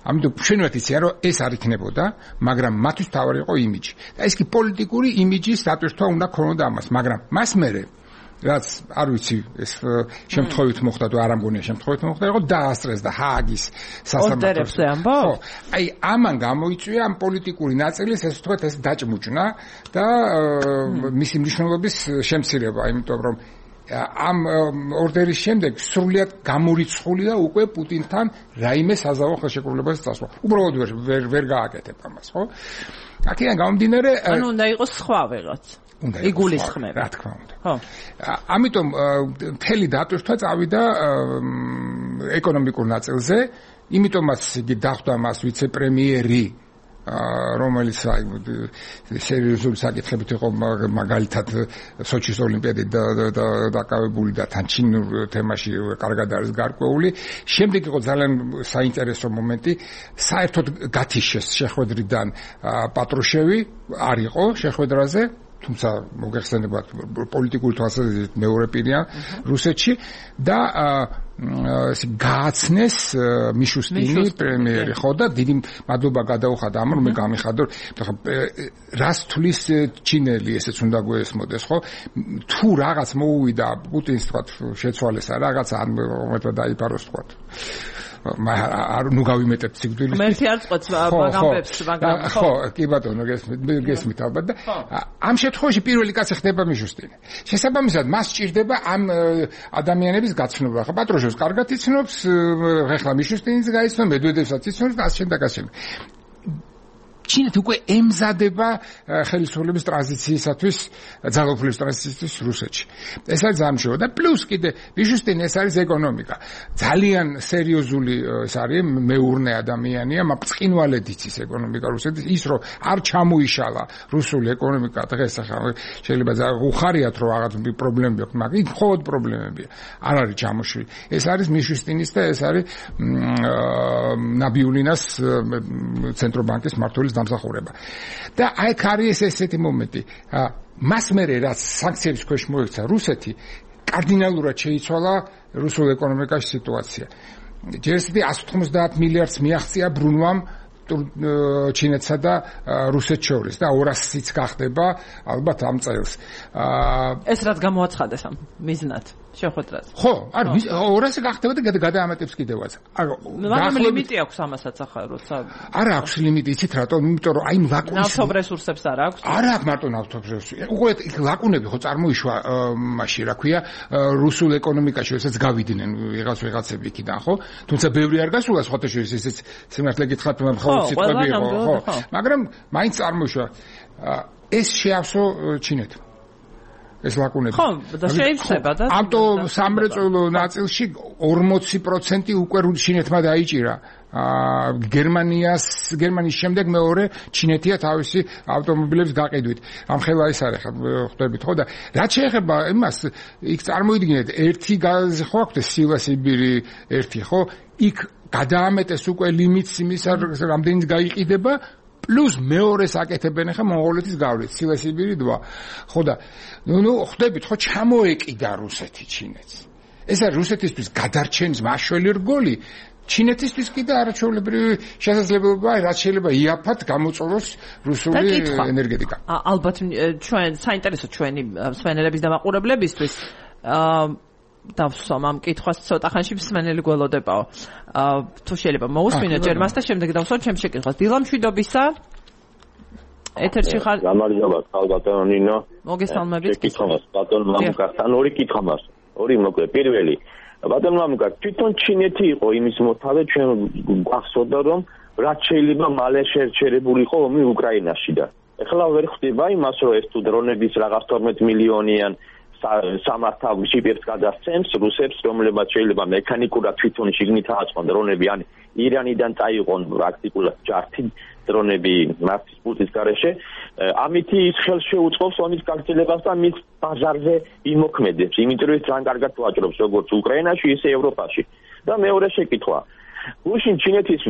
ამიტომ ჩვენივად ისია, რომ ეს არ იქნებოდა, მაგრამ მათთვის თავარი იყო იმიჯი. და ეს კი პოლიტიკური იმიჯის დატვირთვა უნდა ქონოდა ამას, მაგრამ მას მერე რაც არ ვიცი ეს შემთხვევით მოხდა თუ არ ამგონია შემთხვევით მოხდა, იყო დაასწრეს და ჰააგის სასამართლოზე ამბობ. აი ამან გამოიწვია ამ პოლიტიკური ნაწილის ეს ვთქვათ ეს დაჭმუჭნა და მისი მნიშვნელობის შემცირება, იმიტომ რომ ამ ორდერის შემდეგ სრულიად გამორიცხულია უკვე პუტინთან რაიმე საზავო ხელშეკრულებას წასვლა. უბრალოდ ვერ ვერ გააკეთებ ამას, ხო? აქედან გამომდინარე, ანუ უნდა იყოს სხვა ვიღაც. უნდა იგულისხმება, რა თქმა უნდა. ხო. ამიტომ მთელი დატვირთვა წავიდა ეკონომიკურ ნაწილზე, იმიტომაც იგი დახვდა მას ვიცე-პრემიერი, რომელიც აი სერიოზული საკითხებით იყო მაგალითად სოჩის ოლიმპიადი დაკავებული და თან ჩინურ თემაში კარგად არის გარკვეული. შემდეგ იყო ძალიან საინტერესო მომენტი, საერთოდ გათიშეს შეხვედრიდან პატრუშევი არ იყო შეხვედრაზე, თუმცა მოგეხსენებათ პოლიტიკური თვალსაზრისით მეორე პირია რუსეთში და ესე გააცნეს მიშუსტინი პრემიერი, ხო და დიდი მადლობა გადაუხადა ამ რომ მე გამიხადო, რას თulis ჩინელი ესეც უნდა გვესმოდეს, ხო? თუ რაღაც მოუვიდა პუტინს თქვა შეცვალეს რაღაც ან უმეტად დაიფაროს თქვა. არ ნუ გავიმეტებ სიკვდილის. მე ერთი არ წყვეტს მაგამბებს, მაგრამ ხო, კი ბატონო, გესმით ალბათ და ამ შემთხვევაში პირველი კაცი ხდება მიშუსტინი. შესაბამისად, მას სჭირდება ამ ადამიანების გაცნობა. ხო, პატრუშევს კარგად იცნობს, ხეხლა მიშუსტინიც გაიცნობს, მედვედევსაც იცნობს და ასე და ასე. ჩინეთი უკვე ემზადება ხელისუფლების ტრანზიციისათვის, ძალაუფლების ტრანზიციისთვის რუსეთში. ეს არის ამჟამად და პლუს კიდე მიშუსტინი ეს არის ეკონომიკა. ძალიან სერიოზული ეს არის მეურნე ადამიანია, მწყინვალედ იცის ეკონომიკა რუსეთის, ის რომ არ ჩამოიშალა რუსული ეკონომიკა დღეს ახლა შეიძლება უხარიათ რომ რაღაც პრობლემები აქვს, მაგრამ იქ მხოლოდ პრობლემებია. არ არის ჩამოშლილი. ეს არის მიშუსტინის და ეს არის ნაბიულინას ცენტრობანკის მმართველის დამსახურება. და აი არის ესეთი მომენტი. მას მერე რაც სანქციების ქვეშ მოექცა რუსეთი, კარდინალურად შეიცვალა რუსულ ეკონომიკაში სიტუაცია. ჯერ ესეთი εκατს ოთხმოცდაათ მილიარდს მიაღწია ბრუნვამ ჩინეთსა და რუსეთს შორის და ორასიც გახდება ალბათ ამ წელს. ეს რაც გამოაცხადეს ამ მიზნად შეხვედრაზე. ხო, არ ორასი გახდება და გადაამატებს კიდევაც. მაგრამ ლიმიტი აქვს ამასაც ახლა როცა არა აქვს ლიმიტი, იცით რატომ? იმიტომ რომ აი ლაკუნის ნავთობ რესურსებს არ აქვს. არა აქვს მარტო ნავთობ რესურსები. უკვე ლაკუნები ხო წარმოიშვა მაშინ, რა ქვია, რუსულ ეკონომიკაში, რასაც გავიდნენ ვიღაც ვიღაცები იქიდან, ხო? თუმცა ბევრი არ გასულა სხვათა შორის, ესეც სიმართლე გითხრათ, მხოლოდ სიტყვები იყო, ხო? მაგრამ მაინც წარმოიშვა. ეს შეავსო ჩინეთს. ეს ლაკუნები. ხო, და შეიძლება და ამტო სამრეწველო ნაწილში ორმოცი პროცენტი უკვე ჩინეთმა დაიჭირა. გერმანიას გერმანიის შემდეგ მეორე ჩინეთია თავისი ავტომობილების გაყიდვით. ამ ხელა ეს არის ხვდებით ხო და რაც შეეხება იმას იქ წარმოიდგინეთ ერთი გაზი ხო აქვს სილასიბირი ერთი ხო იქ გადაამეტეს უკვე ლიმიტს იმისა რამდენიც გაიყიდება პლუს მეორეს აკეთებენ ხა მონღოლეთის გავლით სილასიბირი два ხო და ნუ ხვდებით ხო ჩამოეკიდა რუსეთი ჩინეთს ეს არის რუსეთისთვის გადარჩენის მაშველი რგოლი ჩინეთისთვის კიდე არაჩვეულებრივი შესაძლებლობაა რაც შეიძლება იაფად გამოწვევოს რუსული ენერგეტიკა. ალბათ ჩვენ საინტერესო ჩვენი მსმენელების და მაყურებლებისთვის დავსვამ ამ კითხვას ცოტა ხანში მსმენელი გველოდებაო. თუ შეიძლება მოусმინოთ ჯერ მას და შემდეგ დავსვამ ჩემს შეკითხვას. დილა მშვიდობისა. ეთერში ხარ. გამარჯობა, ხალბატონო ნინო. მოგესალმებით. კითხავს ბატონო მამუკასთან ორი კითხვა მაქვს. ორი მოკლე. პირველი ბატონო მამუკა, თვითონ ჩინეთი იყო იმის მოთავე, ჩვენ გვახსოვდა რომ რაც შეიძლება მალე შეერჩერებულიყო ომი უკრაინაში და ეხლა ვერ ხდება იმას რომ ეს თუ დრონების რაღაც თორმეტ მილიონიან სამართავ შიპებს გადასცემს რუსებს, რომლებაც შეიძლება მექანიკურად თვითონ შიგნით აწყონ დრონები, ან ირანიდან წაიყვონ პრაქტიკულად ჯართი დრონები მართის პულტის გარეშე, ამითი ის ხელს შეუწყობს ომის გაგრძელებას და მის ბაზარზე იმოქმედებს, იმიტომ რომ ძალიან კარგად ვაჭრობს როგორც უკრაინაში, ისე ევროპაში. და მეორე შეკითხვა. გუშინ ჩინეთის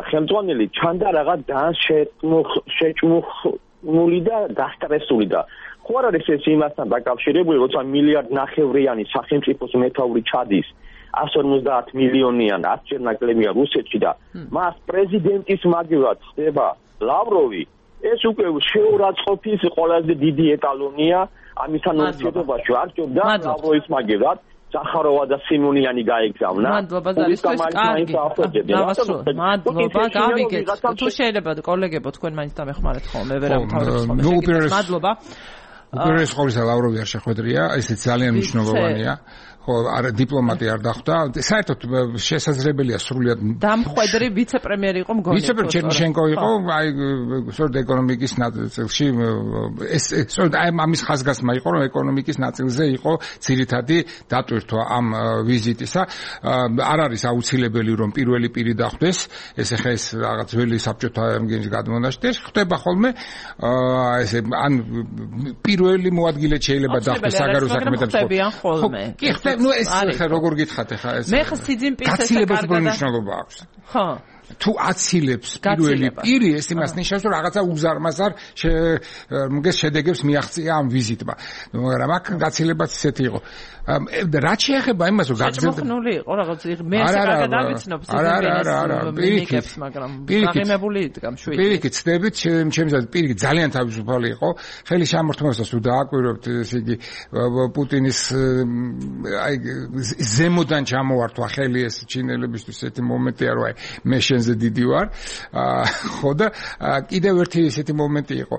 ხელმძღვანელი ჩანდა რაღაც ძალიან შეჭმული და გასტრესული და ხო არ არის ეს იმასთან დაკავშირებული, როცა მილიარდ ნახევრიანი სახელმწიფოს მეთაური ჩადის one fifty მილიონიან ათჯერ ნაკლებია რუსეთში და მას პრეზიდენტის მაგივრად ხდება ლავროვი, ეს უკვე შეურაცხყოფის ყველაზე დიდი ეტალონია ამისთან ურთიერთობაში. არ ჯობდა ლავროვის მაგივრად სახაროვა და სიმონიანი გაეგზავნა. მადლობა ზარისთვის, კარგი. მადლობა, გავიგეთ. თუ შეიძლება კოლეგებო თქვენ მაინც დამეხმარეთ ხოლმე, ვერავითაურებს ხოლმე. მადლობა. უპირველეს ყოვლისა ლავროვი არ შეხვედრია, ესეც ძალიან მნიშვნელოვანია. ხო, არა დიპლომატი არ დახვდა. საერთოდ შესაძლებელია სრულიად დამხვედრი ვიცე-პრემიერი იყო მგონი. ვიცე-პრემიერი ჩერნიშენკო იყო, აი სწორედ ეკონომიკის ნაწილში ეს სწორედ აი ამის ხაზგასმა იყო, რომ ეკონომიკის ნაწილზე იყო ძირითადი დატვირთვა ამ ვიზიტისა. არ არის აუცილებელი რომ პირველი პირი დახვდეს, ეს ახლა ეს რაღაც ძველი საბჭოთა იმგენის გადმონაშთი, ეს ხდება ხოლმე ესე ან პირველი მოადგილე შეიძლება დახვდეს საგარეო საქმეთა ხოლმე. კი ხდება ნუ ეს როგორ გითხათ ახლა ეს მე ხა სიძინპინს ეს გაცილებას მნიშვნელობა აქვს ხო თუ აცილებს პირველი პირი ეს იმას ნიშნავს რომ რაღაცა უზარმაზარ მგეს შედეგებს მიაღწია ამ ვიზიტმა მაგრამ აქ გაცილებაც ისეთი იყო რაც შეეხება იმას რომ გაგზელდა მოხნული იყო რაღაც მე საკარგად ავიცნობ სიძინპინს მაგრამ აღიმებული იდგა მშვიდი პირიქით ცდებით ჩემს პირიქით ძალიან თავისუფალი იყო ხელი შემორთმევასაც თუ დააკვირვებთ ეს იგი პუტინის აი ზემოდან ჩამოვართვა ხელი ეს ჩინელებისთვის ესეთი მომენტია რომ აი მე ზე დიდი ვარ ხო და კიდევ ერთი ესეთი მომენტი იყო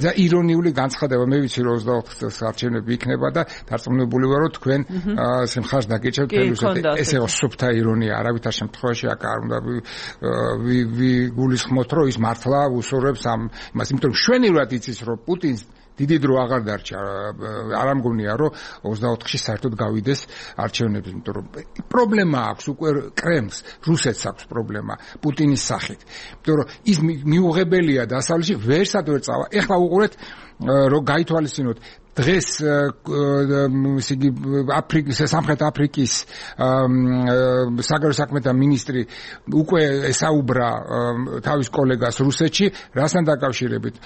და ირონიული განცხადება მე ვიცი რომ ოცდაოთხ წელს არჩევნები იქნება და დარწმუნებული ვარ რომ თქვენ სიმხარს დაგეჭებთ თელუსეთ ესე სუფთა ირონია არავითარ შემთხვევაში აქ არ უნდა ვიგულისხმოთ რომ ის მართლა უსურვებს ამ იმას იმიტომ რომ შვენივრად იცის რომ პუტინს დიდი დრო აღარ დარჩა არ ამგონია რომ ოცდაოთხში საერთოდ გავიდეს არჩევნები იმიტომ რომ პრობლემა აქვს უკვე კრემლს რუსეთს აქვს პრობლემა პუტინის სახით იმიტომ რომ ის მიუღებელია დასავლეთში ვერსად ვერ წავა ეხლა უყურეთ რომ გაითვალისწინოთ დღეს ისე იგი აფრიკის სამხრეთ აფრიკის საგარეო საქმეთა მინისტრი უკვე ესაუბრა თავის კოლეგას რუსეთში რასთან დაკავშირებით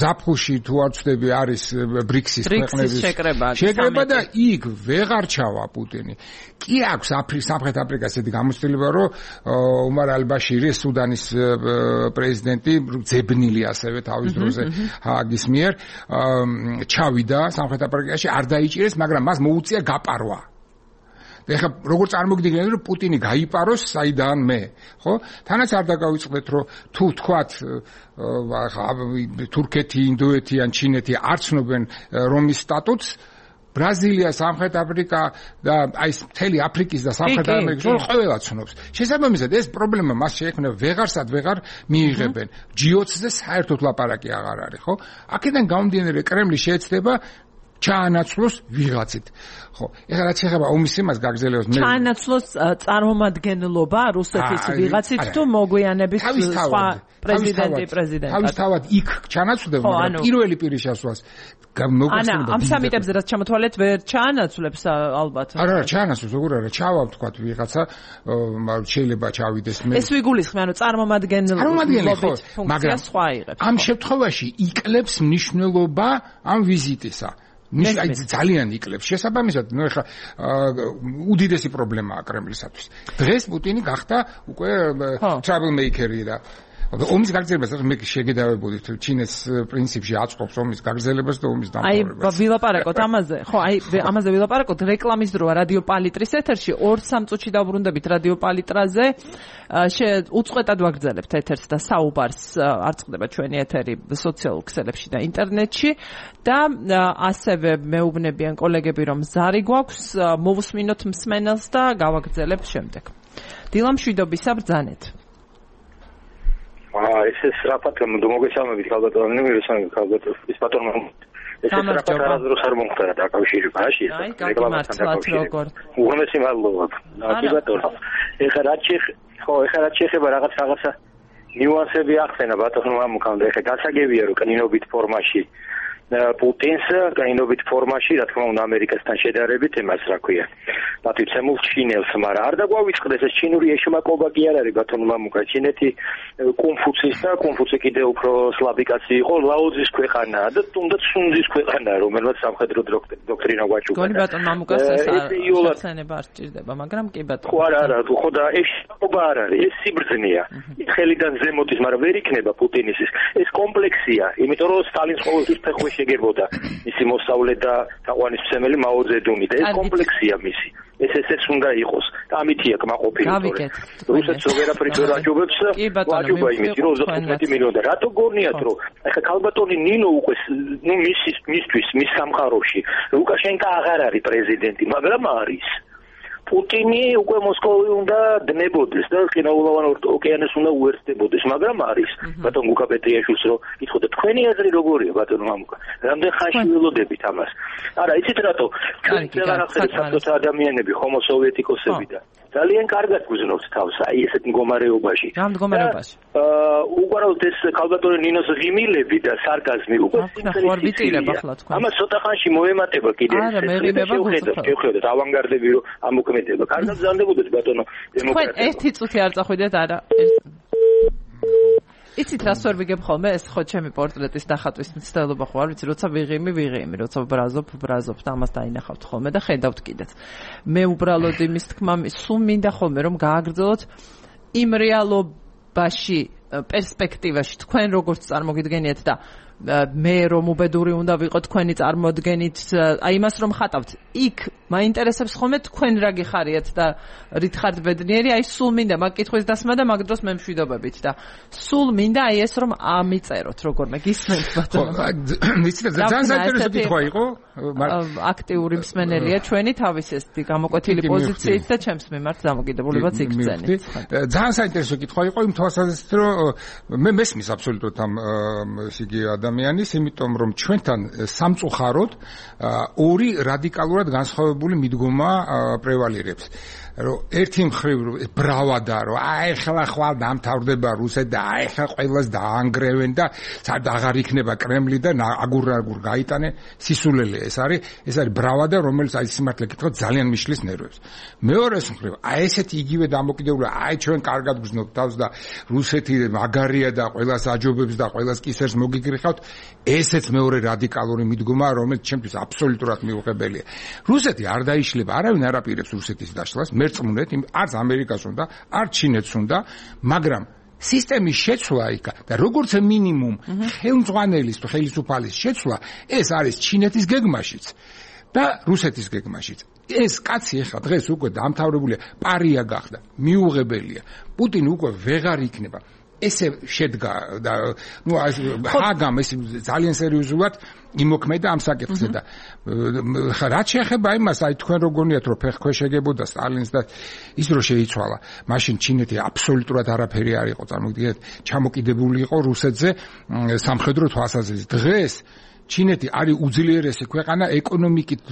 ზაფხულში თუ არ ვცდები არის ბრიქსის ქვეყნების შეკრება და იქ ვეღარ ჩავა პუტინი კი აქვს აფრიკის სამხრეთ აფრიკას ესეთი გამოცდილება რომ უმარ ალ-ბაშირი სუდანის პრეზიდენტი ძებნილი ასევე თავის დროზე ჰააგის მიერ ჩავიდა სამხრეთ აფრიკაში არ დაიჭირეს მაგრამ მას მოუწია გაპარვა ეხლა როგორ წარმოგიდგენთ რომ პუტინი გაიპაროს საიდან მე ხო თანაც არ დაგავიწყდეთ რომ თუ თქვათ თურქეთი ინდოეთი ან ჩინეთი არ ცნობენ რომის სტატუტს ბრაზილია, სამხრეთ აფრიკა და აი მთელი აფრიკის და სამხრეთ ამერიკის ყველა ცნობს. შესაბამისად ეს პრობლემა მას შეექმნა ვეღარსად ვეღარ მიიღებენ. ჯი ოცზე საერთოდ ლაპარაკი აღარ არის, ხო? აქედან გამომდინარე კრემლი შეეცდება ჩაანაცვლოს ვიღაცით. ხო, ეხლა რაც ეხება ომის იმას გაგრძელებას მე ჩაანაცვლოს წარმომადგენლობა რუსეთის ვიღაცით თუ მოგვიანებით სხვა პრეზიდენტი პრეზიდენტად. თავისთავად იქ ჩაანაცვლდება, მაგრამ პირველი პირის შესვლას ანა ამ სამიტებზე რაც ჩამოთვალეთ ვერ ჩაანაცვლებს ალბათ. არა, არა, ჩაანაცვლებს, როგორ არა, ჩავა ვთქვათ ვიღაცა შეიძლება ჩავიდეს მე. ეს ვიგულისხმე, ანუ წარმომადგენლობის ფუნქცია სხვა იღებს. ამ შემთხვევაში იკლებს მნიშვნელობა ამ ვიზიტისა. ნიშნ აი ძალიან იკლებს. შესაბამისად, ნუ ეხლა უდიდესი პრობლემაა კრემლისათვის. დღეს პუტინი გახდა უკვე travel maker-ი და ომის გაგრძელებას მე შეგედავებოდით ჩინეთს პრინციპში აწყობს ომის გაგრძელებას და ომის დამთავრებას. აი ვილაპარაკოთ ამაზე. ხო, აი ამაზე ვილაპარაკოთ. რეკლამის დროა რადიო პალიტრის ეთერში ორ სამ წუთში დავბრუნდებით რადიო პალიტრაზე. უწყვეტად ვაგრძელებთ ეთერს და საუბარს არ წყდება ჩვენი ეთერი სოციალურ ქსელებში და ინტერნეტში და ასევე მეუბნებიან კოლეგები რომ ზარი გვაქვს მოვუსმინოთ მსმენელს და გავაგრძელებთ შემდეგ. დილა მშვიდობისა ბრძანეთ. აა ეს ეს რაფათ მოგესალმებით ქალბატონი მირესანი ქალბატონი ის ბატონო ეს ეს რაფათ არასდროს არ მომხდარა დაკავშირებაში ეს რეკლამასთან დაკავშირებით უღმესი მადლობა კი ბატონო ეხლა რაც ხო ეხლა რაც შეეხება რაღაც რაღაცა ნიუანსები ახსენა ბატონო ამქამდე ეხლა გასაგებია რომ კნინობით ფორმაში პუტინს კნინობით ფორმაში რა თქმა უნდა ამერიკასთან შედარებით იმას რა ქვია პატიცემულ ჩინელს მაგრამ არ დაგვავიწყდეს ეს ჩინური ეშმაკობა კი არ არის ბატონო მამუკა ჩინეთი კონფუცის და კონფუცი კიდე უფრო სლაბი კაცი იყო ლაოძის ქვეყანაა და თუნდაც სუნძის ქვეყანაა რომელსაც სამხედრო დოქტრინა გვაჭუქა გონი ბატონო მამუკას ეს ახსენება არ სჭირდება მაგრამ კი ბატონო ხო არა არა ხო და ეშმაკობა არ არის ეს სიბრძნეა ხელიდან ზემოთის მაგრამ ვერ იქნება პუტინის ეს კომპლექსია იმიტომ რომ სტალინს ყოველთვის ფეხი შეგებოდა მისი მოსავლე და თაყვანისმცემელი მაო ძედუნი და ეს კომპლექსია მისი ეს ესეც უნდა იყოს და ამითია კმაყოფილი რუსეთს ვერაფრით ვერ აჯობებს აჯობა იმით რომ ოცდათხუთმეტი მილიონი და რატო გონიათ რომ ახლა ქალბატონი ნინო უკვე ნუ მისის მისთვის მის სამყაროში ლუკაშენკო აღარ არის პრეზიდენტი მაგრამ არის პუტინი უკვე მოსკოვი უნდა დნებოდეს და ყინულოვან ოკეანეს უნდა უერთდებოდეს მაგრამ არის ბატონ გუკა პეტრიაშვილს რომ ითხოვდა თქვენი აზრი როგორია ბატონ მამუკა რამდენ ხანში ველოდებით ამას არა იცით რატო ჩვენ რაღაცა საბჭოთა ადამიანები ჰომო სოვიეტიკოსები და ძალიან კარგად გძნობთ თავს აი ესეთ მდგომარეობაში რა მდგომარეობაში აა უყურებთ ეს ქალბატონი ნინოს ღიმილები და სარკაზმი უკვე ვიტირებ ახლა თქვენ ამას ცოტა ხანში მოემატება კიდე არა მე ღიმება გუწევთ შევხედოთ ავანგარდები რომ ამოქმედება კარგად ზანდებოდეს ბატონო დემოკრატია თქვენ ერთი წუთი არ წახვიდეთ არა იცით რას ვერ ვიგებ ხოლმე ეს ხო ჩემი პორტრეტის დახატვის მცდელობა ხო არ ვიცი როცა ვიღიმი ვიღიმი როცა ბრაზობ ბრაზობ და ამას დაინახავთ ხოლმე და ხედავთ კიდეც მე უბრალოდ იმის თქმა სულ მინდა ხოლმე რომ გააგრძელოთ იმ რეალობაში პერსპექტივაში თქვენ როგორც წარმოგიდგენიათ და მე რომ უბედური უნდა ვიყო თქვენი წარმოდგენით აი იმას რომ ხატავთ იქ მაინტერესებს ხოლმე თქვენ რა გიხარიათ და რით ხართ ბედნიერი აი სულ მინდა მაგ კითხვის დასმა და მაგ დროს მე მშვიდობებით და სულ მინდა აი ეს რომ ამიწეროთ როგორმე გისმენთ ბატონო ვიცით ძალიან საინტერესო კითხვა იყო აქტიური მსმენელია ჩვენი თავის ეს გამოკვეთილი პოზიციით და ჩემს მიმართ დამოკიდებულებაც იგრძენით ძალიან საინტერესო კითხვა იყო იმ თვალსაზრისით რომ მე მესმის აბსოლუტურად ამ ისიგი ადამიანის, იმიტომ რომ ჩვენთან სამწუხაროდ ორი რადიკალურად განსხვავებული მიდგომა პრევალირებს. რომ ერთი მხრივ ბრავადა რომ აი ახლა ხვალ დამთავრდება რუსეთი და აი ახლა ყველას დაანგრევენ და სად აღარ იქნება კრემლი და აგურ-აგურ გაიტანე სისულელე ეს არის ეს არის ბრავადა რომელიც აი სიმართლე გითხრათ ძალიან მიშლის ნერვებს. მეორეს მხრივ აი ესეთი იგივე დამოკიდებული აი ჩვენ კარგად გრძნობთ თავს და რუსეთი მაგარია და ყველას აჯობებს და ყველას კისერს მოგიგრიხავთ ესეც მეორე რადიკალური მიდგომა რომელიც ჩემთვის აბსოლუტურად მიუღებელია. რუსეთი არ დაიშლება არავინ არ აპირებს რუსეთის დაშლას მერწმუნეთ არც ამერიკას უნდა არც ჩინეთს უნდა მაგრამ სისტემის შეცვლა იქა და როგორც მინიმუმ ხელმძღვანელის თუ ხელისუფალის შეცვლა ეს არის ჩინეთის გეგმაშიც და რუსეთის გეგმაშიც ეს კაცი ახლა დღეს უკვე დამთავრებულია პარია გახდა მიუღებელია პუტინი უკვე ვეღარ იქნება ესე შედგა და ნუ ჰაგამ ეს ძალიან სერიოზულად იმოქმედა ამ საკითხზე და რაც შეეხება იმას აი თქვენ როგორ რომ ფეხქვეშ ეგებოდა სტალინს და ის რო შეიცვალა მაშინ ჩინეთი აბსოლუტურად არაფერი არ იყო წარმოგიდგენთ ჩამოკიდებული იყო რუსეთზე სამხედრო თვალსაზრისით დღეს ჩინეთი არის უძლიერესი ქვეყანა ეკონომიკით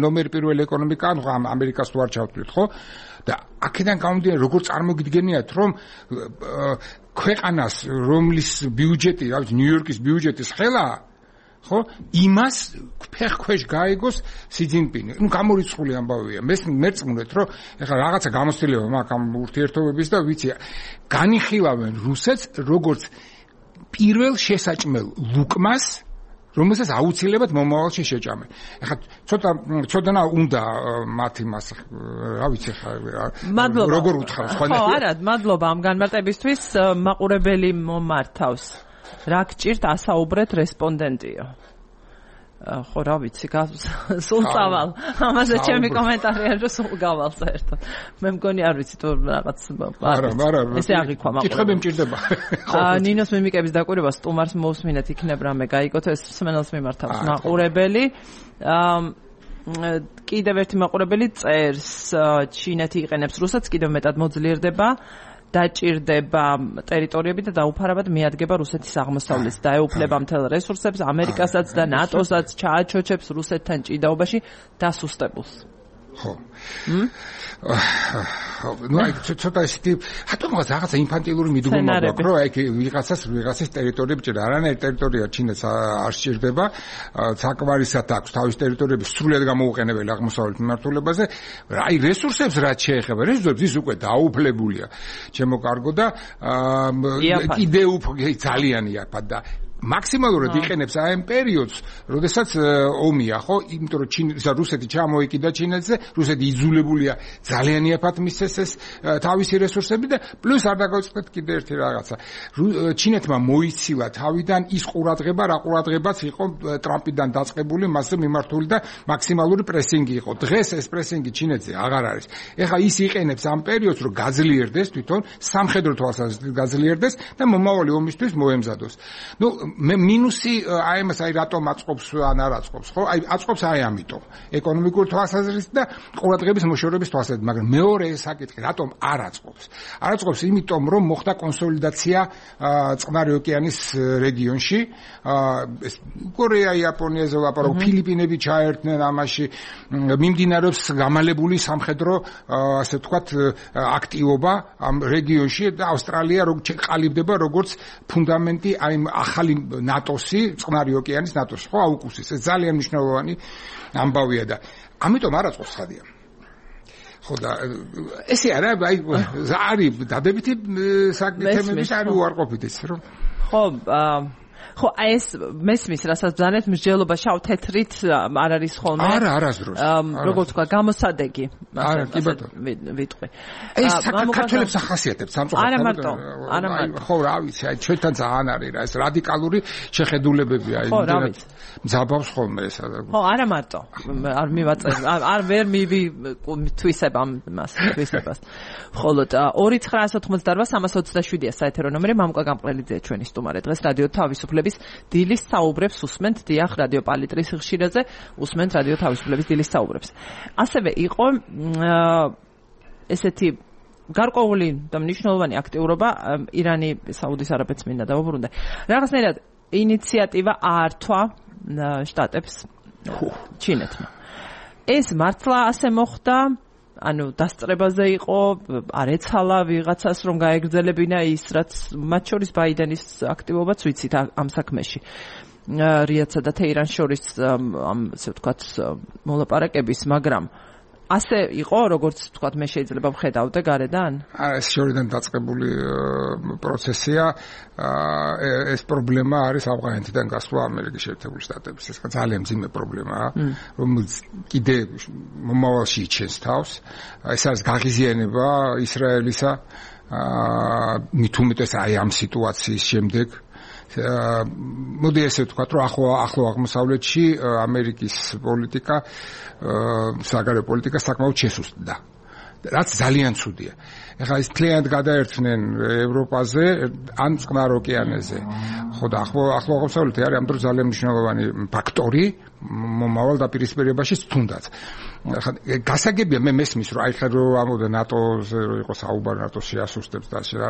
ნომერ პირველ ეკონომიკა ამ ამერიკას თუ არ ჩავთვლით ხო და აქედან გამომდინარე როგორ წარმოგიდგენიათ რომ ქვეყანას რომლის ბიუჯეტი რა ვიცი ნიუ-იორკის ბიუჯეტის ხელაა ხო იმას ფეხქვეშ გაიგოს სი ძინპინი ნუ გამორიცხული ამბავია მე მერწმუნეთ რომ ეხლა რაღაცა გამოცდილება მაქვს ამ ურთიერთობების და ვიცი განიხილავენ რუსეთს როგორც პირველ შესაჭმელ ლუკმას რომელსაც აუცილებლად მომავალში შეჭამენ. ეხლა ცოტა ცოტანა უნდა მათ იმას რა ვიცი ხა როგორ უთხარ სხვა ხო არა მადლობა ამ განმარტებისთვის მაყურებელი მომართავს რა გჭირთ ასაუბრეთ რესპონდენტიო ხო რა ვიცი სულ წავალ ამაზე ჩემი კომენტარი არის რომ სულ გავალ საერთოდ მე მგონი არ ვიცი თუ რაღაც არა არა ესე აღიქვა მაყურებელი კითხები მჭირდება ნინოს მიმიკების დაკვირვება სტუმარს მოусმინეთ იქნებ რამე გაიგოთ ეს სმენელს მიმართავს მაყურებელი კიდევ ერთი მაყურებელი წერს ჩინეთი იყენებს რუსეთს კიდევ მეტად მოძლიერდება დაჭირდება ტერიტორიები და დაუფარავად მიადგება რუსეთის აღმოსავლეთს და ეუფლება მთელ რესურსებს ამერიკასაც და ნატოსაც ჩააჩოჩებს რუსეთთან ჭიდაობაში დასუსტებულს. ხო. ნუ აი ცოტა ისეთი რატომღაც რაღაცა ინფანტილური მიდგომა აქვს რომ აი ვიღაცას ვიღაცის ტერიტორიები ჭირდა არანაირი ტერიტორია ჩინეთს არ სჭირდება საკვარისად აქვს თავის ტერიტორიები სრულად გამოუყენებელი აღმოსავლეთ მიმართულებაზე აი რესურსებს რაც შეეხება რესურსებს ის უკვე დაუფლებულია ჩემო კარგო და კიდევ უფრო ძალიან იაფად და მაქსიმალურად იყენებს აი ამ პერიოდს, როდესაც ომია, ხო? იმიტომ რომ ჩინეთს რუსეთი ჩამოეკიდა ჩინეთზე, რუსეთი იძულებულია ძალიან იაფად მისცეს ეს თავისი რესურსები და პლუს არ დაგავიწყდეთ კიდე ერთი რაღაცა. ჩინეთმა მოიცილა თავიდან ის ყურადღება, რა ყურადღებაც იყო ტრამპიდან დაწყებული, მასზე მიმართული და მაქსიმალური პრესინგი იყო. დღეს ეს პრესინგი ჩინეთზე აღარ არის. ეხლა ის იყენებს ამ პერიოდს, რომ გაძლიერდეს თვითონ სამხედრო თვალსაზრისით გაძლიერდეს და მომავალი ომისთვის მოემზადოს. ნუ მე მინუსი აი მას აი რატომ აწყობს ან არ აწყობს ხო აი აწყობს აი ამიტომ ეკონომიკური თვალსაზრისით და ყურადღების მოშორების თვალსაზრისით მაგრამ მეორე საკითხი რატომ არ აწყობს არ აწყობს იმიტომ რომ მოხდა კონსოლიდაცია წყნარი ოკეანის რეგიონში ეს კორეა იაპონიაზე ლაპარაკობ ფილიპინები ჩაერთნენ ამაში მიმდინარეობს გამალებული სამხედრო ასე ვთქვათ აქტივობა ამ რეგიონში და ავსტრალია როგორ ყალიბდება როგორც ფუნდამენტი აი ახალი ნატოსი, წყნარი ოკეანის ნატოსი, ხო, აუკუსის. ეს ძალიან მნიშვნელოვანი ამბავია და ამიტომ არ აწყობს ხადია. ხო და ესე არა, აი არის დადებითი საკითხები არის უარყოფით ეს, რომ ხო, ხო, ეს მესმის, რასაც ბრძანეთ, მსჯელობა შავ თეთრით არ არის ხოლმე. არა, არასდროს. როგორც თქვა, გამოსადეგი. არა, კი ბატონო. ვიტყვი. ეს საქართველოს ახასიათებს სამწუხაროდ. არა მარტო, არა მარტო. ხო, რა ვიცი, აი ჩვენთან ძალიან არის რა, ეს რადიკალური შეხედულებებია, აი იმდენად მძაბავს ხოლმე ეს. ხო, არა მარტო. არ მივაწერ, არ ვერ მივი თვისებ ამ მას, თვისებას. ხოლო ორი ცხრაასი ოცდაოთხმოცდაოთხ სამას ოცდაშვიდია საეთერო ნომერი მამუკა გამყრელიძეა ჩვენი სტუმარი. დღეს რადიო თავისუფლების დილის საუბრებს უსმენთ დიახ რადიო პალიტრის ხშირაზე უსმენთ რადიო თავისუფლების დილის საუბრებს. ასევე იყო ესეთი გარკვეული და მნიშვნელოვანი აქტიურობა ირანი საუდის არაბეთს მინდა დავუბრუნდე. რაღაცნაირად ინიციატივა აართვა შტატებს ჩინეთმა. ეს მართლა ასე მოხდა ანუ დასწრებაზე იყო არ ეცალა ვიღაცას რომ გაეგრძელებინა ის რაც მათ შორის ბაიდენის აქტივობაც ვიცით ამ საქმეში რიაცსა და თეირანს შორის ამ ასე ვთქვათ მოლაპარაკების მაგრამ ასე იყო როგორც ვთქვათ მე შეიძლება ვხედავდე გარედან არა ეს შორიდან დაწყებული პროცესია ეს პრობლემა არის ავღანეთიდან გასვლა ამერიკის შეერთებული შტატების ეს ძალიან მძიმე პრობლემაა რომელიც კიდე მომავალში იჩენს თავს ეს არის გაღიზიანება ისრაელისა მით უმეტეს აი ამ სიტუაციის შემდეგ მოდი ესე ვთქვათ, რომ ახლო ახლო აღმოსავლეთში ამერიკის პოლიტიკა, საგარეო პოლიტიკა საკმაოდ შესუსტდა. რაც ძალიან ცუდია. ეხლა ის თლიანად გადაერთნენ ევროპაზე, ან წყნარ ოკეანეზე. ხო და ახლო ახლო აღმოსავლეთი არის ამ დროს ძალიან მნიშვნელოვანი ფაქტორი მომავალ დაპირისპირებაში თუნდაც. ხა გასაგებია მე მესმის რომ აი ხა რომ ამოდა ნატოზე რომ იყო საუბარი ნატოს შეასუსტებს და ასე რა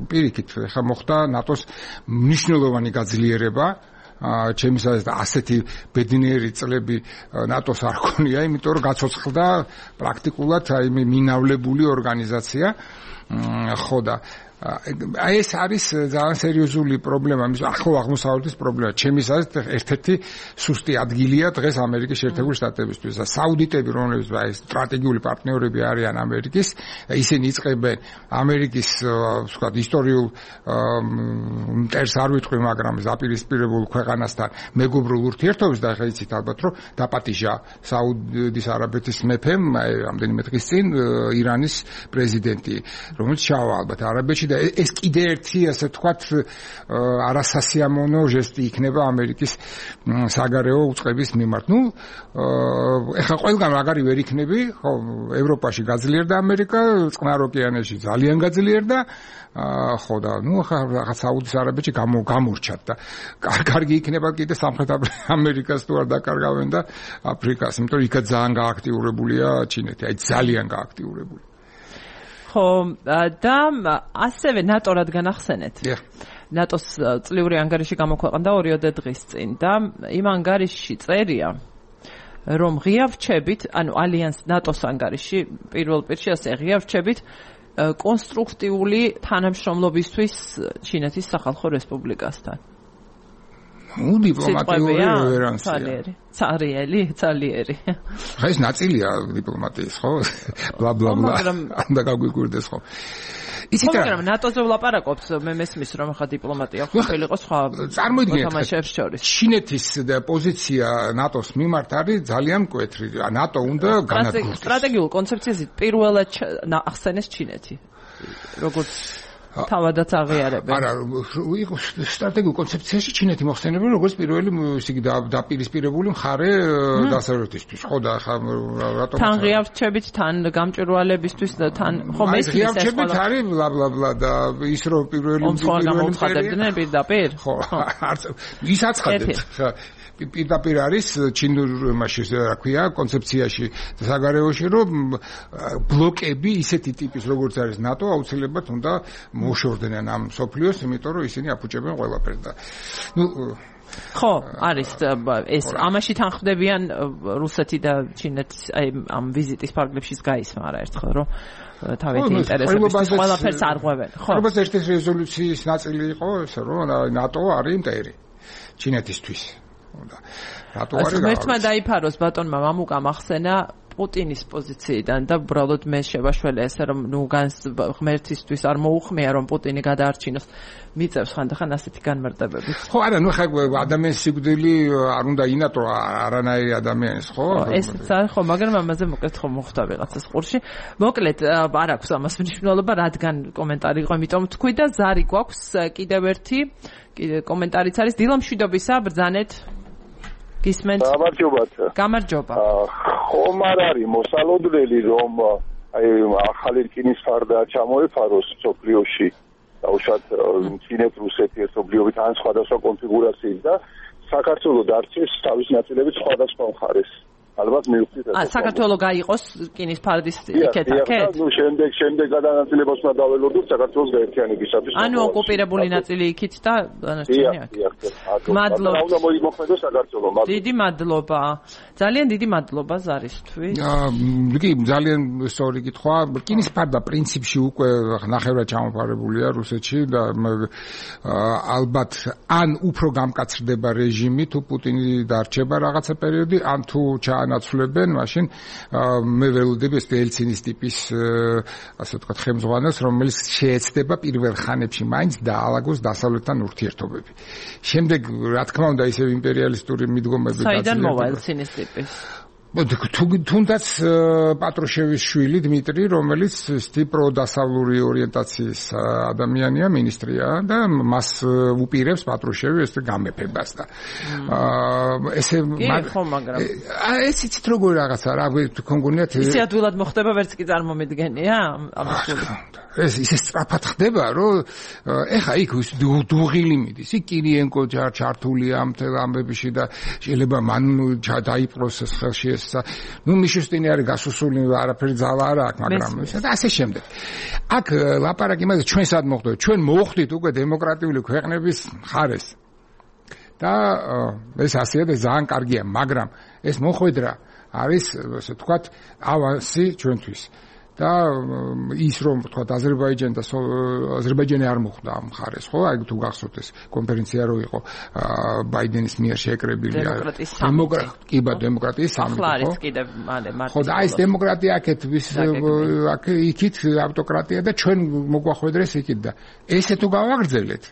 პირიქით ხა მოხდა ნატოს მნიშვნელოვანი გაძლიერება ჩემს ასეთი ბედნიერი წლები ნატოს არ ქონია, იმიტომ რომ გაცოცხლდა პრაქტიკულად აი მინავლებული ორგანიზაცია. ხო და აი ეს არის ძალიან სერიოზული პრობლემა, მის ახლო აღმოსავლეთის პრობლემა. ჩემის აზრით ერთ-ერთი სუსტი ადგილია დღეს ამერიკის შეერთებული შტატებისთვის. საუდიტები, რომლებიც აი სტრატეგიული პარტნიორები არიან ამერიკის, ისინი იწყებენ ამერიკის, ვთქვათ, ისტორიულ მტერს არ ვიტყვი, მაგრამ ზაპირისპირებულ ქვეყანასთან მეგობრულ ურთიერთობებს და ახლა იცით ალბათ, რომ დაპატიჟა საუდის არაბეთის მეფემ აი რამდენიმე დღის წინ ირანის პრეზიდენტი, რომელიც ჩავა ალბათ არაბეთში. ეს კიდე ერთი ასე თქვათ არასასიამოვნო ჟესტი იქნება ამერიკის საგარეო უწყების მიმართ. ნუ ეხლა ყველგან მაგარი ვერ იქნები, ხო, ევროპაში გაძლიერდა ამერიკა, წყნარ ოკეანეში ძალიან გაძლიერდა, ხო და ნუ ახლა რაღაც საუდის არაბეთში გამორჩათ და კარგი იქნება კიდე სამხრეთ ამერიკას თუ არ დაკარგავენ და აფრიკას, იმიტომ რომ იქაც ძალიან გააქტიურებულია ჩინეთი, აი ძალიან გააქტიურებული. ხო და ასევე ნატო რადგან ახსენეთ. ნატოს წლიური ანგარიში გამოქვეყნდა ორიოდე დღის წინ და იმ ანგარიშში წერია, რომ ღია რჩებით, ანუ ალიანს ნატოს ანგარიში პირველ პირში ასე ღია რჩებით კონსტრუქტიული თანამშრომლობისთვის ჩინეთის სახალხო რესპუბლიკასთან. ნუ დიპლომატიური რევერანსია. ცარიელი, ცალიერი. ხა ეს ნაწილია დიპლომატიის, ხო? ბლა ბლა ბლა. ანდა გაგვიგვირდეს, ხო? იცით რა? მაგრამ ნატოზე ვლაპარაკობთ, მე მესმის რომ ხა დიპლომატია ყოფილიყო სხვა წარმოიდგინეთ შორის. ჩინეთის პოზიცია ნატოს მიმართ არის ძალიან მკვეთრი. ნატო უნდა განადგურდეს. სტრატეგიულ კონცეფციაზე პირველად ახსენეს ჩინეთი. როგორც თავადაც აღიარებენ. არა, იყო სტრატეგიულ კონცეფციაში ჩინეთი მოხსენებენ როგორც პირველი ისე დაპირისპირებული მხარე დასავლეთისთვის. ხო და ხა რატომ თან ღია რჩებით, თან გამჭვირვალებისთვის და თან ხომ ეს ღია რჩებით არის ბლა ბლა ბლა და ის რომ პირველი პირველი მხარეებდნენ პირდაპირ? ხო, არც ის აცხადეთ. ხა პირდაპირ არის ჩინურ მასში რა ქვია კონცეფციაში საგარეოში რომ ბლოკები ისეთი ტიპის როგორც არის ნატო აუცილებლად უნდა მოშორდნენ ამ სოფლიოს, იმიტომ რომ ისინი აფუჭებენ ყველაფერს და ნუ ხო, არის ეს ამაში თანხმდებიან რუსეთი და ჩინეთის აი ამ ვიზიტის ფარგლებშიც გაისმა არა ერთხელ რომ თავისი ინტერესების ყველაფერს არღვევენ. ხო. როგორც ერთ-ერთი რეზოლუციის ნაწილი იყო ეს რომ ნატო არის მტერი ჩინეთისთვის. და რატო არის ღმერთმა დაიფაროს ბატონმა მამუკამ ახსენა პუტინის პოზიციიდან და უბრალოდ მე შევაშველე ესე რომ ნუ განს ღმერთისთვის არ მოუხმია რომ პუტინი გადაარჩინოს მიწევს ხანდახან ასეთი განმარტებებით. ხო, არა, ნუ ხა ადამიანის სიკვდილი არ უნდა ინატო არანაირი ადამიანის, ხო? ეს ხო, მაგრამ ამაზე მოკლედ ხო მოხდა ვიღაცას ყურში. მოკლედ არ აქვს ამას მნიშვნელობა, რადგან კომენტარი იყო, იმიტომ თქვი და ზარი გვაქვს კიდევ ერთი კომენტარიც არის დილამშვიდობისა, ბრძანეთ. გისმენთ? გამარჯობათ. გამარჯობა. ხომ არ არის მოსალოდნელი რომ აი ახალი რკინის ფარდა ჩამოეფაროს სოფლიოში დაუშვათ ჩინეთ რუსეთი ერთობლიობით ან სხვადასხვა კონფიგურაციით და საქართველოს დარჩეს თავის ნაწილებით სხვადასხვა მხარეს. ალბათ მივხვდით ეს. აა საქართველოს გაიყოს რკინის ფარდის იქეთ-აქეთ? ნუ შემდეგ შემდეგ გადანაწილებას უნდა დაველოდოთ საქართველოს გაერთიანებისათვის. ანუ ოკუპირებული ნაწილი იქით და დანარჩენი აქ. მადლობა. უნდა მოიმოქმედოს საქართველოს. დიდი მადლობა. ძალიან დიდი მადლობა ზარისთვის. აა კი ძალიან სწორი კითხვა. რკინის ფარდა პრინციპში უკვე ნახევრად ჩამოფარებულია რუსეთში და ალბათ ან უფრო გამკაცრდება რეჟიმი თუ პუტინი დარჩება რაღაცა პერიოდი, ან თუ ჩაანაცვლებენ, მაშინ მე ველოდები ეს ელცინის ტიპის ასე ვთქვათ ხელმძღვანელს, რომელიც შეეცდება პირველ ხანებში მაინც დაალაგოს დასავლეთთან ურთიერთობები. შემდეგ რა თქმა უნდა ისევ იმპერიალისტური მიდგომები დაძლევდა. საიდან მოვა ელცინის ტიპის? თუნდაც პატრუშევის შვილი დმიტრი, რომელიც სტიპრო დასავლური ორიენტაციის ადამიანია, მინისტრია და მას უპირებს პატრუშევი ეს გამეფებას და ესე მაგრამ ეს იცით როგორი რაღაცა რა გქონგუნიათ ისე ადვილად მოხდება ვერც კი წარმომედგენია ამას ეს ისე სწრაფად ხდება რომ ეხა იქ დუღილი მიდის იქ კირიენკო ჩართულია ამ ამბებში და შეიძლება მან დაიპყროს ეს ხელში ეს ნუ მიშუსტინი არის გასუსული არაფერი ძალა არა აქვს მაგრამ და ასე შემდეგ აქ ლაპარაკი იმაზე ჩვენ სად მოხდეთ ჩვენ მოხდით უკვე დემოკრატიული ქვეყნების მხარეს და ეს ასეა და ძალიან კარგია, მაგრამ ეს მოხვედრა არის ასე ვთქვათ ავანსი ჩვენთვის. და ის რომ ვთქვათ აზერბაიჯანი და აზერბაიჯანი არ მოხვდა ამ მხარეს, ხო? აი თუ გახსოვთ ეს კონფერენცია რო იყო ბაიდენის მიერ შეკრებილი დემოკრატიის დემოკრატიის სამიტი, ხო? ახლა არის კიდევ მალე მარტო. ხო და ეს დემოკრატია აქეთ ვის აქ იქით ავტოკრატია და ჩვენ მოგვახვედრეს იქით და ესე თუ გავაგრძელეთ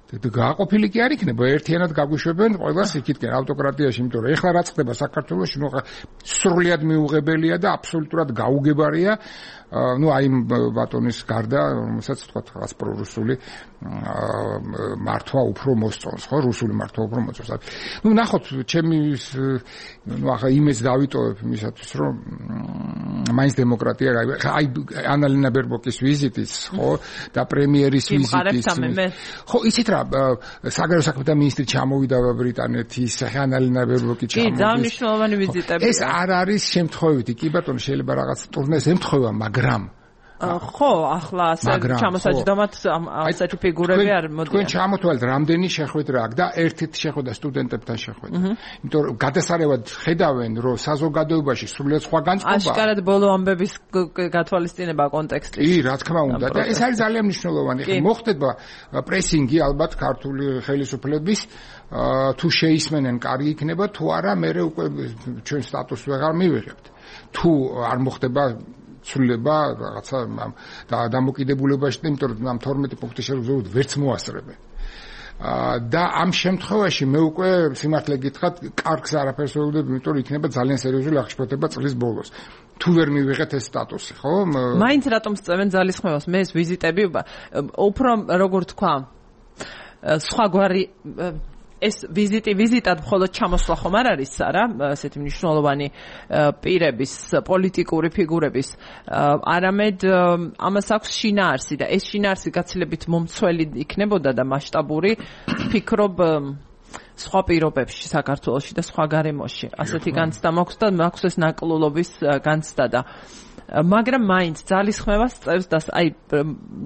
გააყოფილი კი არ იქნება, ერთიანად გაგვიშვებენ ყველას იქითკენ ავტოკრატიაში, იმიტომ რომ ეხლა რაც ხდება საქართველოში, ნუ სრულიად მიუღებელია და აბსოლუტურად გაუგებარია, ну აი ბატონის გარდა, რომელსაც თქვა რაღაც პრორუსული მართვა უფრო მოსწონს, ხო, რუსული მართვა უფრო მოსწონს. ну ნახოთ, ჩემი ну ახლა იმეს დავიტოვებ იმისათვის, რომ მაინც დემოკრატია, აი ანალინა ბერბოკის ვიზიტიც, ხო, და პრემიერის ვიზიტიც. ხო, იცით რა, საგარეო საქმეთა მინისტრი ჩამოვიდა ბრიტანეთის, ანალინა ბერბოკი ჩამოვიდა. კი, ძალიან მნიშვნელოვანი ვიზიტები. ეს არ არის შემთხვევითი, კი ბატონო, შეიძლება რაღაც ტურნეს ემთხვევა, მაგრამ ხო, ახლა ასე ჩამოსაჯდომად ასეთი ფიგურები არ მოდიან. თქვენ ჩამოთვალეთ, რამდენი შეხვედრა აქვს და ერთ-ერთ შეხვედრა სტუდენტებთან შეხვედრა. იმიტომ რომ გადასარევად ხედავენ, რომ საზოგადოებაში სრულიად სხვა განწყობაა. აშკარად ბოლო ამბების გათვალისწინება კონტექსტში. კი, რა თქმა უნდა. და ეს არის ძალიან მნიშვნელოვანი. ხა მოხდება პრესინგი ალბათ ქართული ხელისუფლების თუ შეისმენენ, კარგი იქნება, თუ არა, მე უკვე ჩვენ სტატუსს ვეღარ მივიღებთ. თუ არ მოხდება ცვლილება რაღაცა და დამოკიდებულებაში, იმიტომ რომ ამ თორმეტი პუნქტის შეურზევოდ ვერც მოასწრებენ. და ამ შემთხვევაში მე უკვე სიმართლე გითხრათ, კარგს არაფერს ვეუბნებ, იმიტომ რომ იქნება ძალიან სერიოზული აღშფოთება წლის ბოლოს. თუ ვერ მივიღეთ ეს სტატუსი, ხო? მაინც რატომ სწევენ ძალისხმევას? მე ეს ვიზიტები უფრო როგორ თქვა, სხვაგვარი ეს ვიზიტი ვიზიტად მხოლოდ ჩამოსვლა ხომ არ არის არა, ასეთი მნიშვნელოვანი პირების, პოლიტიკური ფიგურების, არამედ ამას აქვს შინაარსი და ეს შინაარსი გაცილებით მომცველი იქნებოდა და მასშტაბური, ფიქრობ სხვა პირობებში, საქართველოში და სხვა გარემოში. ასეთი განცდა მაქვს და მაქვს ეს ნაკლულობის განცდა და მაგრამ მაინც ძალისხმევას წევს და აი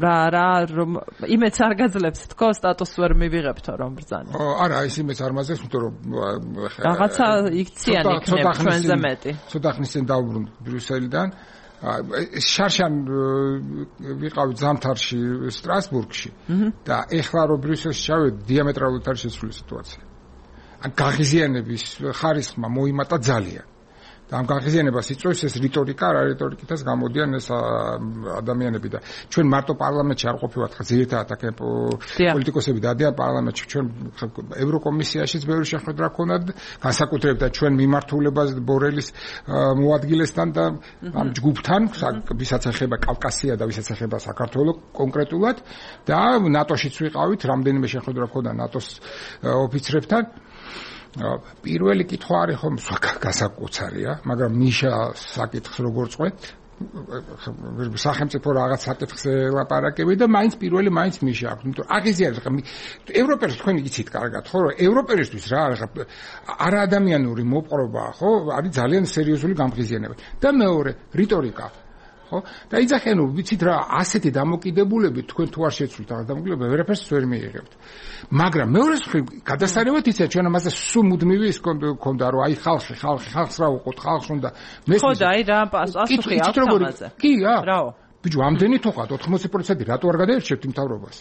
რა რა რომ იმეც არ გაძლევს თქო სტატუსს ვერ მივიღებთ რომ ბრძანა. არა, ის იმეც არ მაძლევს, იმიტომ რომ რაღაცა იქციან იქნება ჩვენზე მეტი. ცოტა ხნის წინ დავბრუნდი ბრიუსელიდან. შარშან ვიყავი ზამთარში სტრასბურგში და ეხლა რომ ბრიუსელში ჩავედი, დიამეტრალურად არის შეცვლილი სიტუაცია. გაღიზიანების ხარისხმა მოიმატა ძალიან. და ამ გაღიზიანებას იწვევს ეს რიტორიკა, რა რიტორიკითაც გამოდიან ეს ადამიანები და ჩვენ მარტო პარლამენტში არ ყოფილვართ, ხა ძირითადად აქ პოლიტიკოსები დადიან პარლამენტში, ჩვენ ევროკომისიაშიც ბევრი შეხვედრა ჰქონდათ, განსაკუთრებით და ჩვენ მიმართულებას ბორელის მოადგილესთან და ამ ჯგუფთან, ვისაც ეხება კავკასია და ვისაც ეხება საქართველოს კონკრეტულად და ნატოშიც ვიყავით, რამდენიმე შეხვედრა ჰქონდა ნატოს ოფიცრებთან. პირველი კითხვა არის ხომ გასაკუთარია, მაგრამ ნიშა საკითხს როგორ წყვეთ? სახელმწიფო რაღაც საკითხს ელაპარაკები და მაინც პირველი მაინც ნიშა აქვს. იმიტომ აღიზიანებს ხა ევროპელს თქვენ იცით კარგად, ხო, რომ ევროპელისთვის რა არის არაადამიანური მოპყრობა, ხო, არის ძალიან სერიოზული გამღიზიანება. და მეორე, რიტორიკა. ხო? და იძახენ, ვიცით რა, ასეთი დამოკიდებულებით თქვენ თუ არ შეცვლით რაღაც დამოკიდებულება, ვერაფერს ვერ მიიღებთ. მაგრამ მეორე მხრივ, გადასარევად იცით, ჩვენ ამაზე სულ მუდმივი ის ქონდა, რომ აი ხალხი, ხალხი, ხალხს რა უყოთ, ხალხს უნდა მესმის. ხო და აი რა პასუხი აქვს ამაზე. კი, რა. რაო? ბიჭო, ამდენი თუ ხართ, ოთხმოცი პროცენტი რატო არ გადაერჩევთ მთავრობას?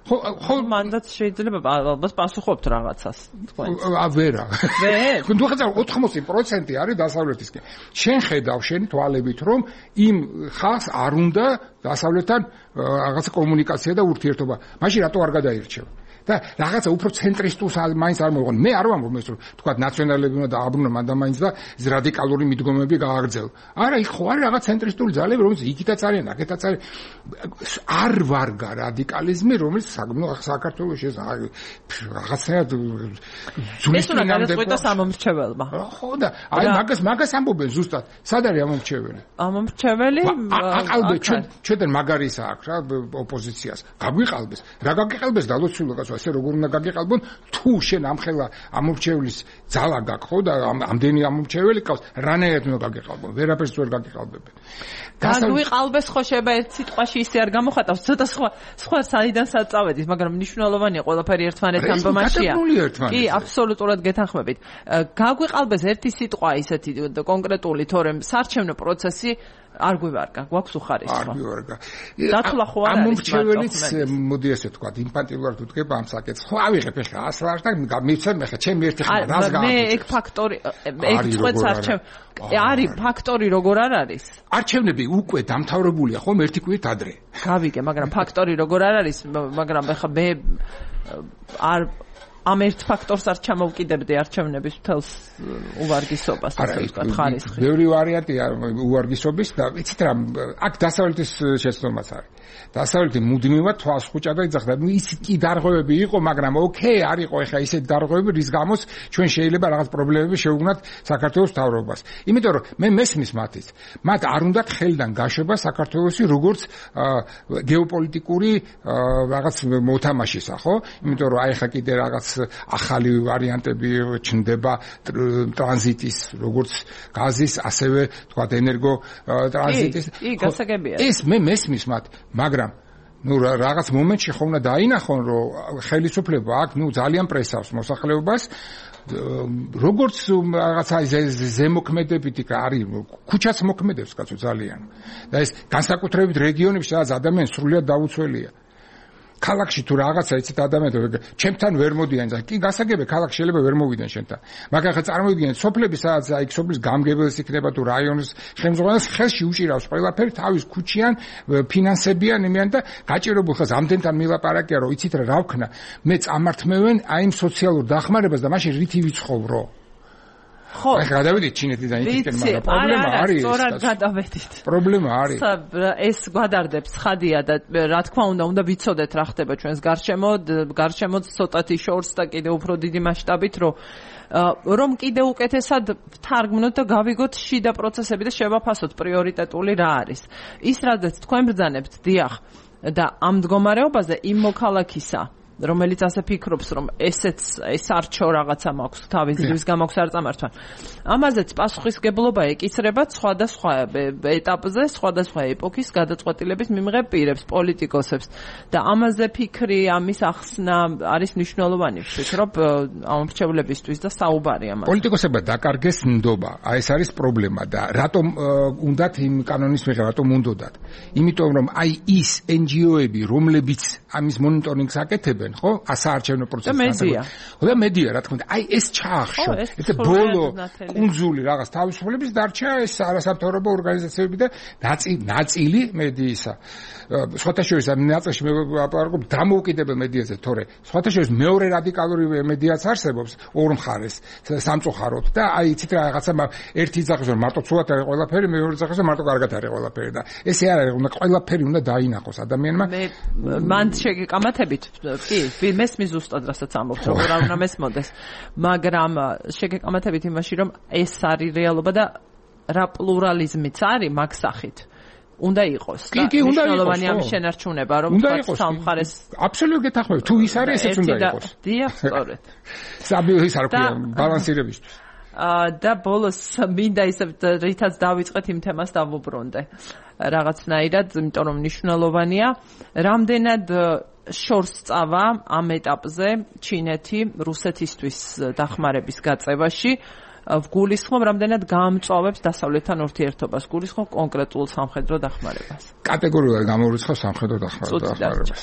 ხო, ხო, მანდაც შეიძლება ალბათ პასუხობთ რაღაცას, თქვენ. ა ვერა. ვერ? თქვენ თუ ხარ ოთხმოცი პროცენტი არის დასავლეთისკენ. შენ ხედავ შენი თვალებით, რომ იმ ხალხს არ უნდა დასავლეთთან რაღაცა კომუნიკაცია და ურთიერთობა. მაშინ რატო არ გადაირჩევ? და რაღაცა უფრო ცენტრისტულს მაინც არ მოიღონ. მე არ ვამბობ ეს რომ თქვა ნაციონალები უნდა დააბრუნონ მანდა მაინც და ეს რადიკალური მიდგომები გააგრძელო. არა, იქ ხო არის რაღაც ცენტრისტული ძალები, რომელიც იქითაც არიან, აქეთაც არის. არ ვარგა რადიკალიზმი, რომელიც საქართველოს ეს რაღაცნაირად ზუსტად ეს ამომრჩეველმა. ხო და აი მაგას მაგას ამბობენ ზუსტად. სად არის ამომრჩეველი? ამომრჩეველი აყალბეთ ჩვენ ჩვენთან მაგარისა აქვს რა ოპოზიციას. გაგვიყალბეს. რა გაგიყალბეს და ლოცულობას ესე როგორ უნდა გაგიყალბონ თუ შენ ამხელა ამორჩევლის ძალა გაქვს ხო და ამდენი ამორჩეველი ყავს რანაირად უნდა გაგიყალბონ ვერაფერს ვერ გაგიყალბებენ გაგვიყალბეს ხო შეიძლება ერთ სიტყვაში ისე არ გამოხატავს ცოტა სხვა სხვა საიდან საწავედით მაგრამ მნიშვნელოვანია ყველაფერი ერთმანეთთან ბმაშია კი აბსოლუტურად გეთანხმებით გაგვიყალბეს ერთი სიტყვა ისეთი კონკრეტული თორემ საარჩევნო პროცესი არ გვივარგა, გვაქვს უხარისხო. არ გვივარგა. დათვლა ხო არ არის. ამორჩეველიც მოდი ასე თქვა, იმპანტილურად ვდგება ამ საკითხს. ხო ავიღებ ახლა ასლარ და მიცემ ახლა ჩემი ერთი ხმა რას გააკეთე. მე ეგ ფაქტორი ეგ წვეთს არჩევ. არის ფაქტორი როგორ არ არის? არჩევნები უკვე დამთავრებულია ხომ ერთი კვირით ადრე. გავიგე, მაგრამ ფაქტორი როგორ არ არის, მაგრამ ახლა მე არ ამ ერთ ფაქტორს არ ჩამოვკიდებდი არჩევნების მთელს უვარგისობას ასე ვთქვათ ხარისხი. ბევრი ვარიანტია უვარგისობის და იცით რა აქ დასავლეთის შეცდომაც არის. დასავლეთი მუდმივად თვალს ხუჭა და იძახდა. ნუ ის კი დარღვევები იყო, მაგრამ ოკეი, არ იყო ეხა ისეთი დარღვევები, რის გამოც ჩვენ შეიძლება რაღაც პრობლემები შევუგნათ საქართველოს მთავრობას. იმიტომ რომ მე მესმის მათით. მათ არ უნდათ ხელიდან გაშვება საქართველოსი როგორც გეოპოლიტიკური რაღაც მოთამაშისა, ხო? იმიტომ რომ აი ხა კიდე რაღაც ახალი ვარიანტები ჩნდება ტრანზიტის როგორც გაზის ასევე თქვა ენერგო ტრანზიტის კი გასაგებია ეს მე მესმის მათ მაგრამ ნუ რაღაც მომენტში ხომ უნდა დაინახონ რომ ხელისუფლება აქ ნუ ძალიან პრესავს მოსახლეობას როგორც რაღაცა ზემოქმედებითი არის ქუჩაც მოქმედებს კაცო ძალიან და ეს განსაკუთრებით რეგიონებში სადაც ადამიანს სრულიად დაუცველია ქალაქში თუ რაღაცა იცით ადამიანები ჩემთან ვერ მოდიან და კი გასაგებია ქალაქში შეიძლება ვერ მოვიდნენ შენთან მაგრამ ხა წარმოიდგინეთ სოფლები სადაც აი სოფლის გამგებელს იქნება თუ რაიონის ხელმძღვანელს ხელში უჭირავს ყველაფერი თავის ქუჩიან ფინანსებიან იმიან და გაჭირებულ ხას ამდენთან მილაპარაკია რომ იცით რა ვქნა მე წამართმევენ აი იმ სოციალურ დახმარებას და მაშინ რითი ვიცხოვრო ხო აი გადავიდით ჩინეთიდან იქიდან მაგრამ პრობლემა არის სწორად გადავედით პრობლემა არის ეს გვადარდებს ხადია და რა თქმა უნდა უნდა ვიცოდეთ რა ხდება ჩვენს გარშემო გარშემო ცოტათი შორს და კიდე უფრო დიდი მასშტაბით რომ რომ კიდე უკეთესად ვთარგმნოთ და გავიგოთ შიდა პროცესები და შევაფასოთ პრიორიტეტული რა არის ის რადგან თქვენ ბრძანებთ დიახ და ამ მდგომარეობაზე იმ მოქალაქისა რომელიც ასე ფიქრობს რომ ესეც ეს არჩო რაღაცა მაქვს თავის ძრის გამაქვს არ წამართვა ამაზეც პასუხისგებლობა ეკისრება სხვადასხვა ეტაპზე სხვადასხვა ეპოქის გადაწყვეტილების მიმღებ პირებს პოლიტიკოსებს და ამაზე ფიქრი ამის ახსნა არის მნიშვნელოვანი ვფიქრობ ამორჩევლებისთვის და საუბარი ამაზე პოლიტიკოსებმა დაკარგეს ნდობა აი ეს არის პრობლემა და რატომ უნდათ იმ კანონის მიღება რატომ უნდათ იმიტომ რომ აი ის ენ ჯი ო-ები რომლებიც ამის მონიტორინგს აკეთებენ ხო ასაარჩევნო პროცესში და მედია რა თქმა უნდა აი ეს ჩაახშო ეს ბოლო კუნძული რაღაც თავისუფლების დარჩა ეს არასამთავრობო ორგანიზაციები და ნაწილი მედიისა სხვათა შორის ამ ნაწილში მე ვაპარაკობ დამოუკიდებელ მედიაზე თორე სხვათა შორის მეორე რადიკალური მედიაც არსებობს ორ მხარეს სამწუხაროდ და აი იცით რა რაღაცა ერთი ძახის რომ მარტო ცუდად არის ყველაფერი მეორე ძახის რომ მარტო კარგად არის ყველაფერი და ესე არ არის უნდა ყველაფერი უნდა დაინახოს ადამიანმა მე მან შეგეკამათებით კი მესმის ზუსტად რასაც ამბობთ როგორ არ უნდა მესმოდეს მაგრამ შეგეკამათებით იმაში რომ ეს არის რეალობა და რა პლურალიზმიც არის მაგ სახით უნდა იყოს და მნიშვნელოვანი ამ შენარჩუნება რომ თქვა სამხარეს აბსოლუტურად გეთანხმები თუ ის არის ესეც უნდა იყოს დიახ სწორედ საბიო ის არ ქვია ბალანსირებისთვის და ბოლოს მინდა ისე რითაც დავიწყეთ იმ თემას დავუბრუნდე რაღაცნაირად იმიტომ რომ მნიშვნელოვანია რამდენად შორს წავა ამ ეტაპზე ჩინეთი რუსეთისთვის დახმარების გაწევაში ვგულისხმობ რამდენად გაამწვავებს დასავლეთთან ურთიერთობას გულისხმობ კონკრეტულ სამხედრო დახმარებას კატეგორიულად გამორიცხავს სამხედრო დახმარებას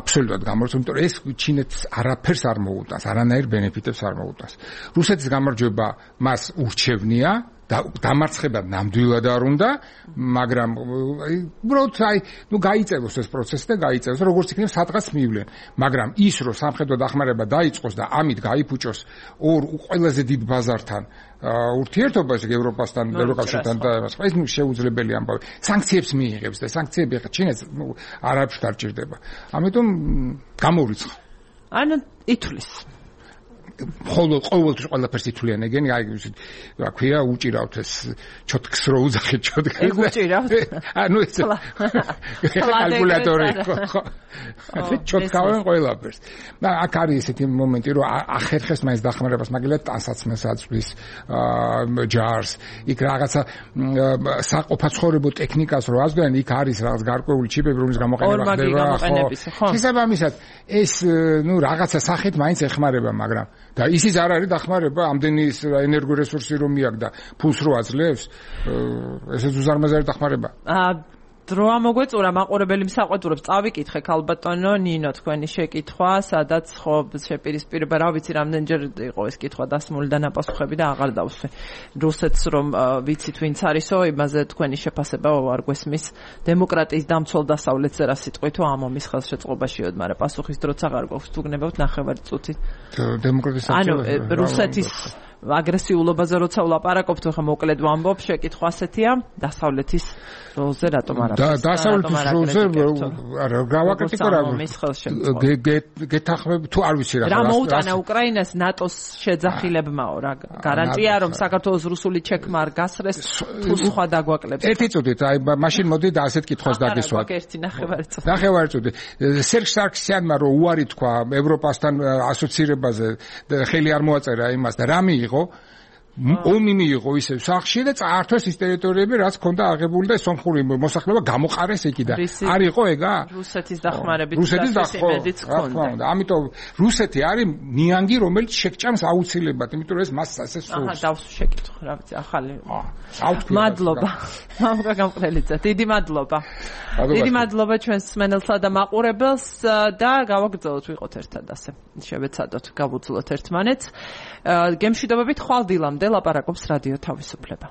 აბსოლუტურად გამორიცხავს იმიტომ რომ ეს ჩინეთს არაფერს არ მოუტანს არანაირ ბენეფიტებს არ მოუტანს რუსეთის გამარჯვება მას ურჩევნია და დამარცხება ნამდვილად არ უნდა, მაგრამ უბრალოდ აი, ნუ გაიწევოს ეს პროცესი და გაიწევოს, როგორც იქნება სადღაც მივლენ. მაგრამ ის რომ სამხედრო დახმარება დაიწყოს და ამით გაიფუჭოს ორ ყველაზე დიდ ბაზართან ურთიერთობას ევროპასთან, ევროკავშირთან და ამას, ეს ნუ შეუძლებელი ამბავი. სანქციებს მიიღებს და სანქციები ხა ჩინეთს ნუ არაფერს არ ჭირდება. ამიტომ გამორიცხა. ანუ ითვლის ხოლო ყოველთვის ყველაფერს ითვლიან ეგენი, აი რა ქვია, უჭირავთ ეს ჩოთქს რო უძახეთ ჩოთქს. ეგ უჭირავთ? ანუ ეს კალკულატორი ხო. ჩოთქავენ ყველაფერს. და აქ არის ესეთი მომენტი, რომ ახერხეს მაინც დახმარებას, მაგალითად ტანსაცმელს აწვის ჯარს, იქ რაღაცა საყოფაცხოვრებო ტექნიკას რო აზრიან, იქ არის რაღაც გარკვეული ჩიპები, რომლის გამოყენება ხდება, ხო. შესაბამისად, ეს ნუ რაღაცა სახით მაინც ეხმარება, მაგრამ და ისიც არ არის დახმარება, ამდენი ენერგორესურსი რომ მიაქვს და ფულს რო აძლევს, ესეც უზარმაზარი დახმარება. აა დრო ამოგვეწურა მაყურებელი მსაყვედურებს წავიკითხე ქალბატონო ნინო თქვენი შეკითხვა, სადაც ხო შეპირისპირება, რა ვიცი, რამდენჯერ იყო ეს კითხვა დასმული და ნაპასუხები და აღარ დავსვე. რუსეთს რომ ვიცით ვინც არისო, იმაზე თქვენი შეფასება არ გვესმის. დემოკრატიის დამცველ დასავლეთზე რა სიტყვითო ამომის ხელშეწყობაშიოდ, მაგრამ პასუხის დროც აღარ გვაქვს, თუ გნებავთ ნახევარი წუთი. დემოკრატიის ანუ რუსეთის აგრესიულობაზე როცა ვლაპარაკობთ, ხა მოკლედ ვამბობ, შეკითხვა ასეთია, დასავლეთის როლზე რატომ არ არის? დასავლეთის როლზე არა, გავაკრიტიკო რა. გეთახმები თუ არ ვიცი რა. რა მოუტანა უკრაინას ნატოს შეძახილებმაო რა. გარანტია რომ საქართველოს რუსული ჩექმა არ გასრეს, თუ სხვა დაგვაკლებს. ერთი წუთით, აი მაშინ მოდი და ასეთ კითხვას დაგესვათ. არა, ერთი ნახევარი წუთი. ნახევარი წუთი. სერგ სარქსიანმა რო უარი თქვა ევროპასთან ასოცირებაზე, ხელი არ მოაწერა იმას და რა მიიღო? ომი მიიღო ისევ სახში და წაართვეს ის ტერიტორიები, რაც ჰქონდა აღებული და სომხური მოსახლეობა გამოყარეს იქიდან. არ იყო ეგა? რუსეთის დახმარებით რუსეთის დახმარებით ჰქონდა. ამიტომ რუსეთი არის ნიანგი, რომელიც შეგჭამს აუცილებლად, იმიტომ რომ ეს მას ასე სურს. აჰა, დავსვი შეკითხვა, რა ვიცი, ახალი. მადლობა. მამუკა გამყრელიძე, დიდი მადლობა. დიდი მადლობა ჩვენს მსმენელსა და მაყურებელს და გავაგრძელოთ ვიყოთ ერთად ასე. შევეცადოთ, გავუძლოთ ერთმანეთს. გემშვიდობებით ხვალ დილამდე ლაპარაკობს რადიო თავისუფლება.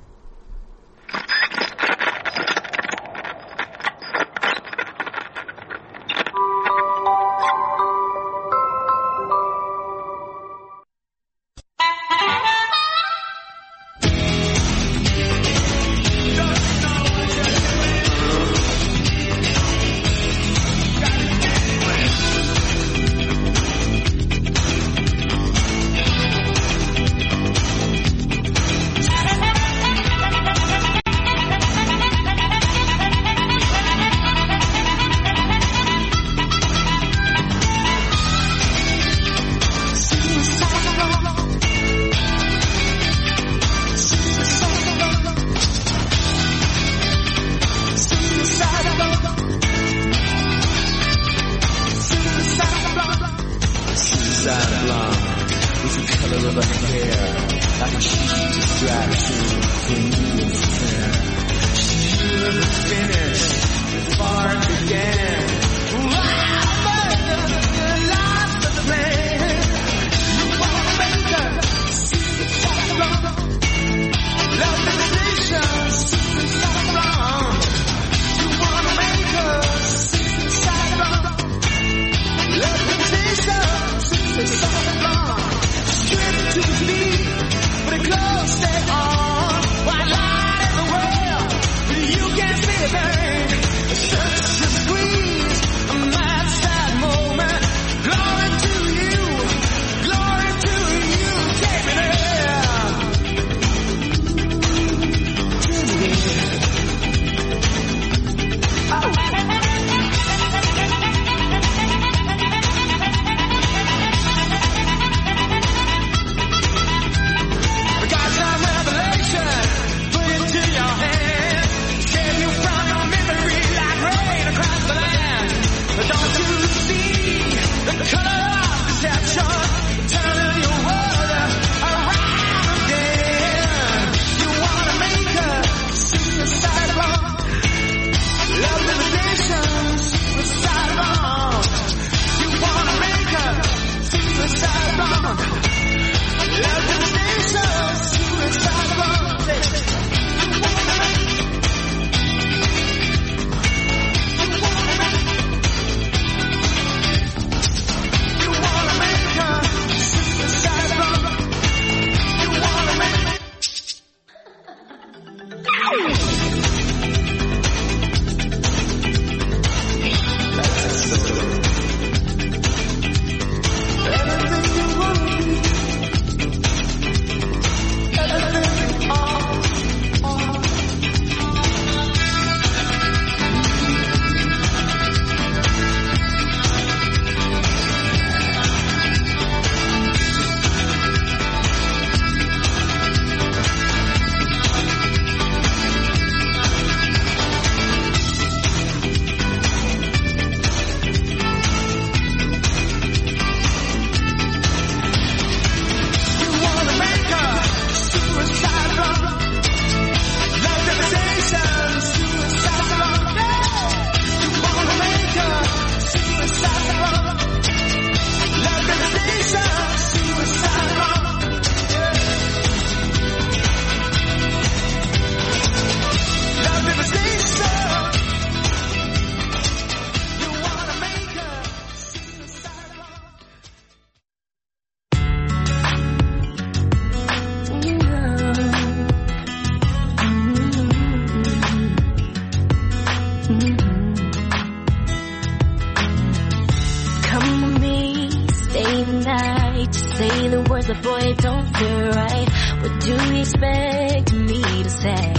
but boy, it don't feel right. What do you expect me to say?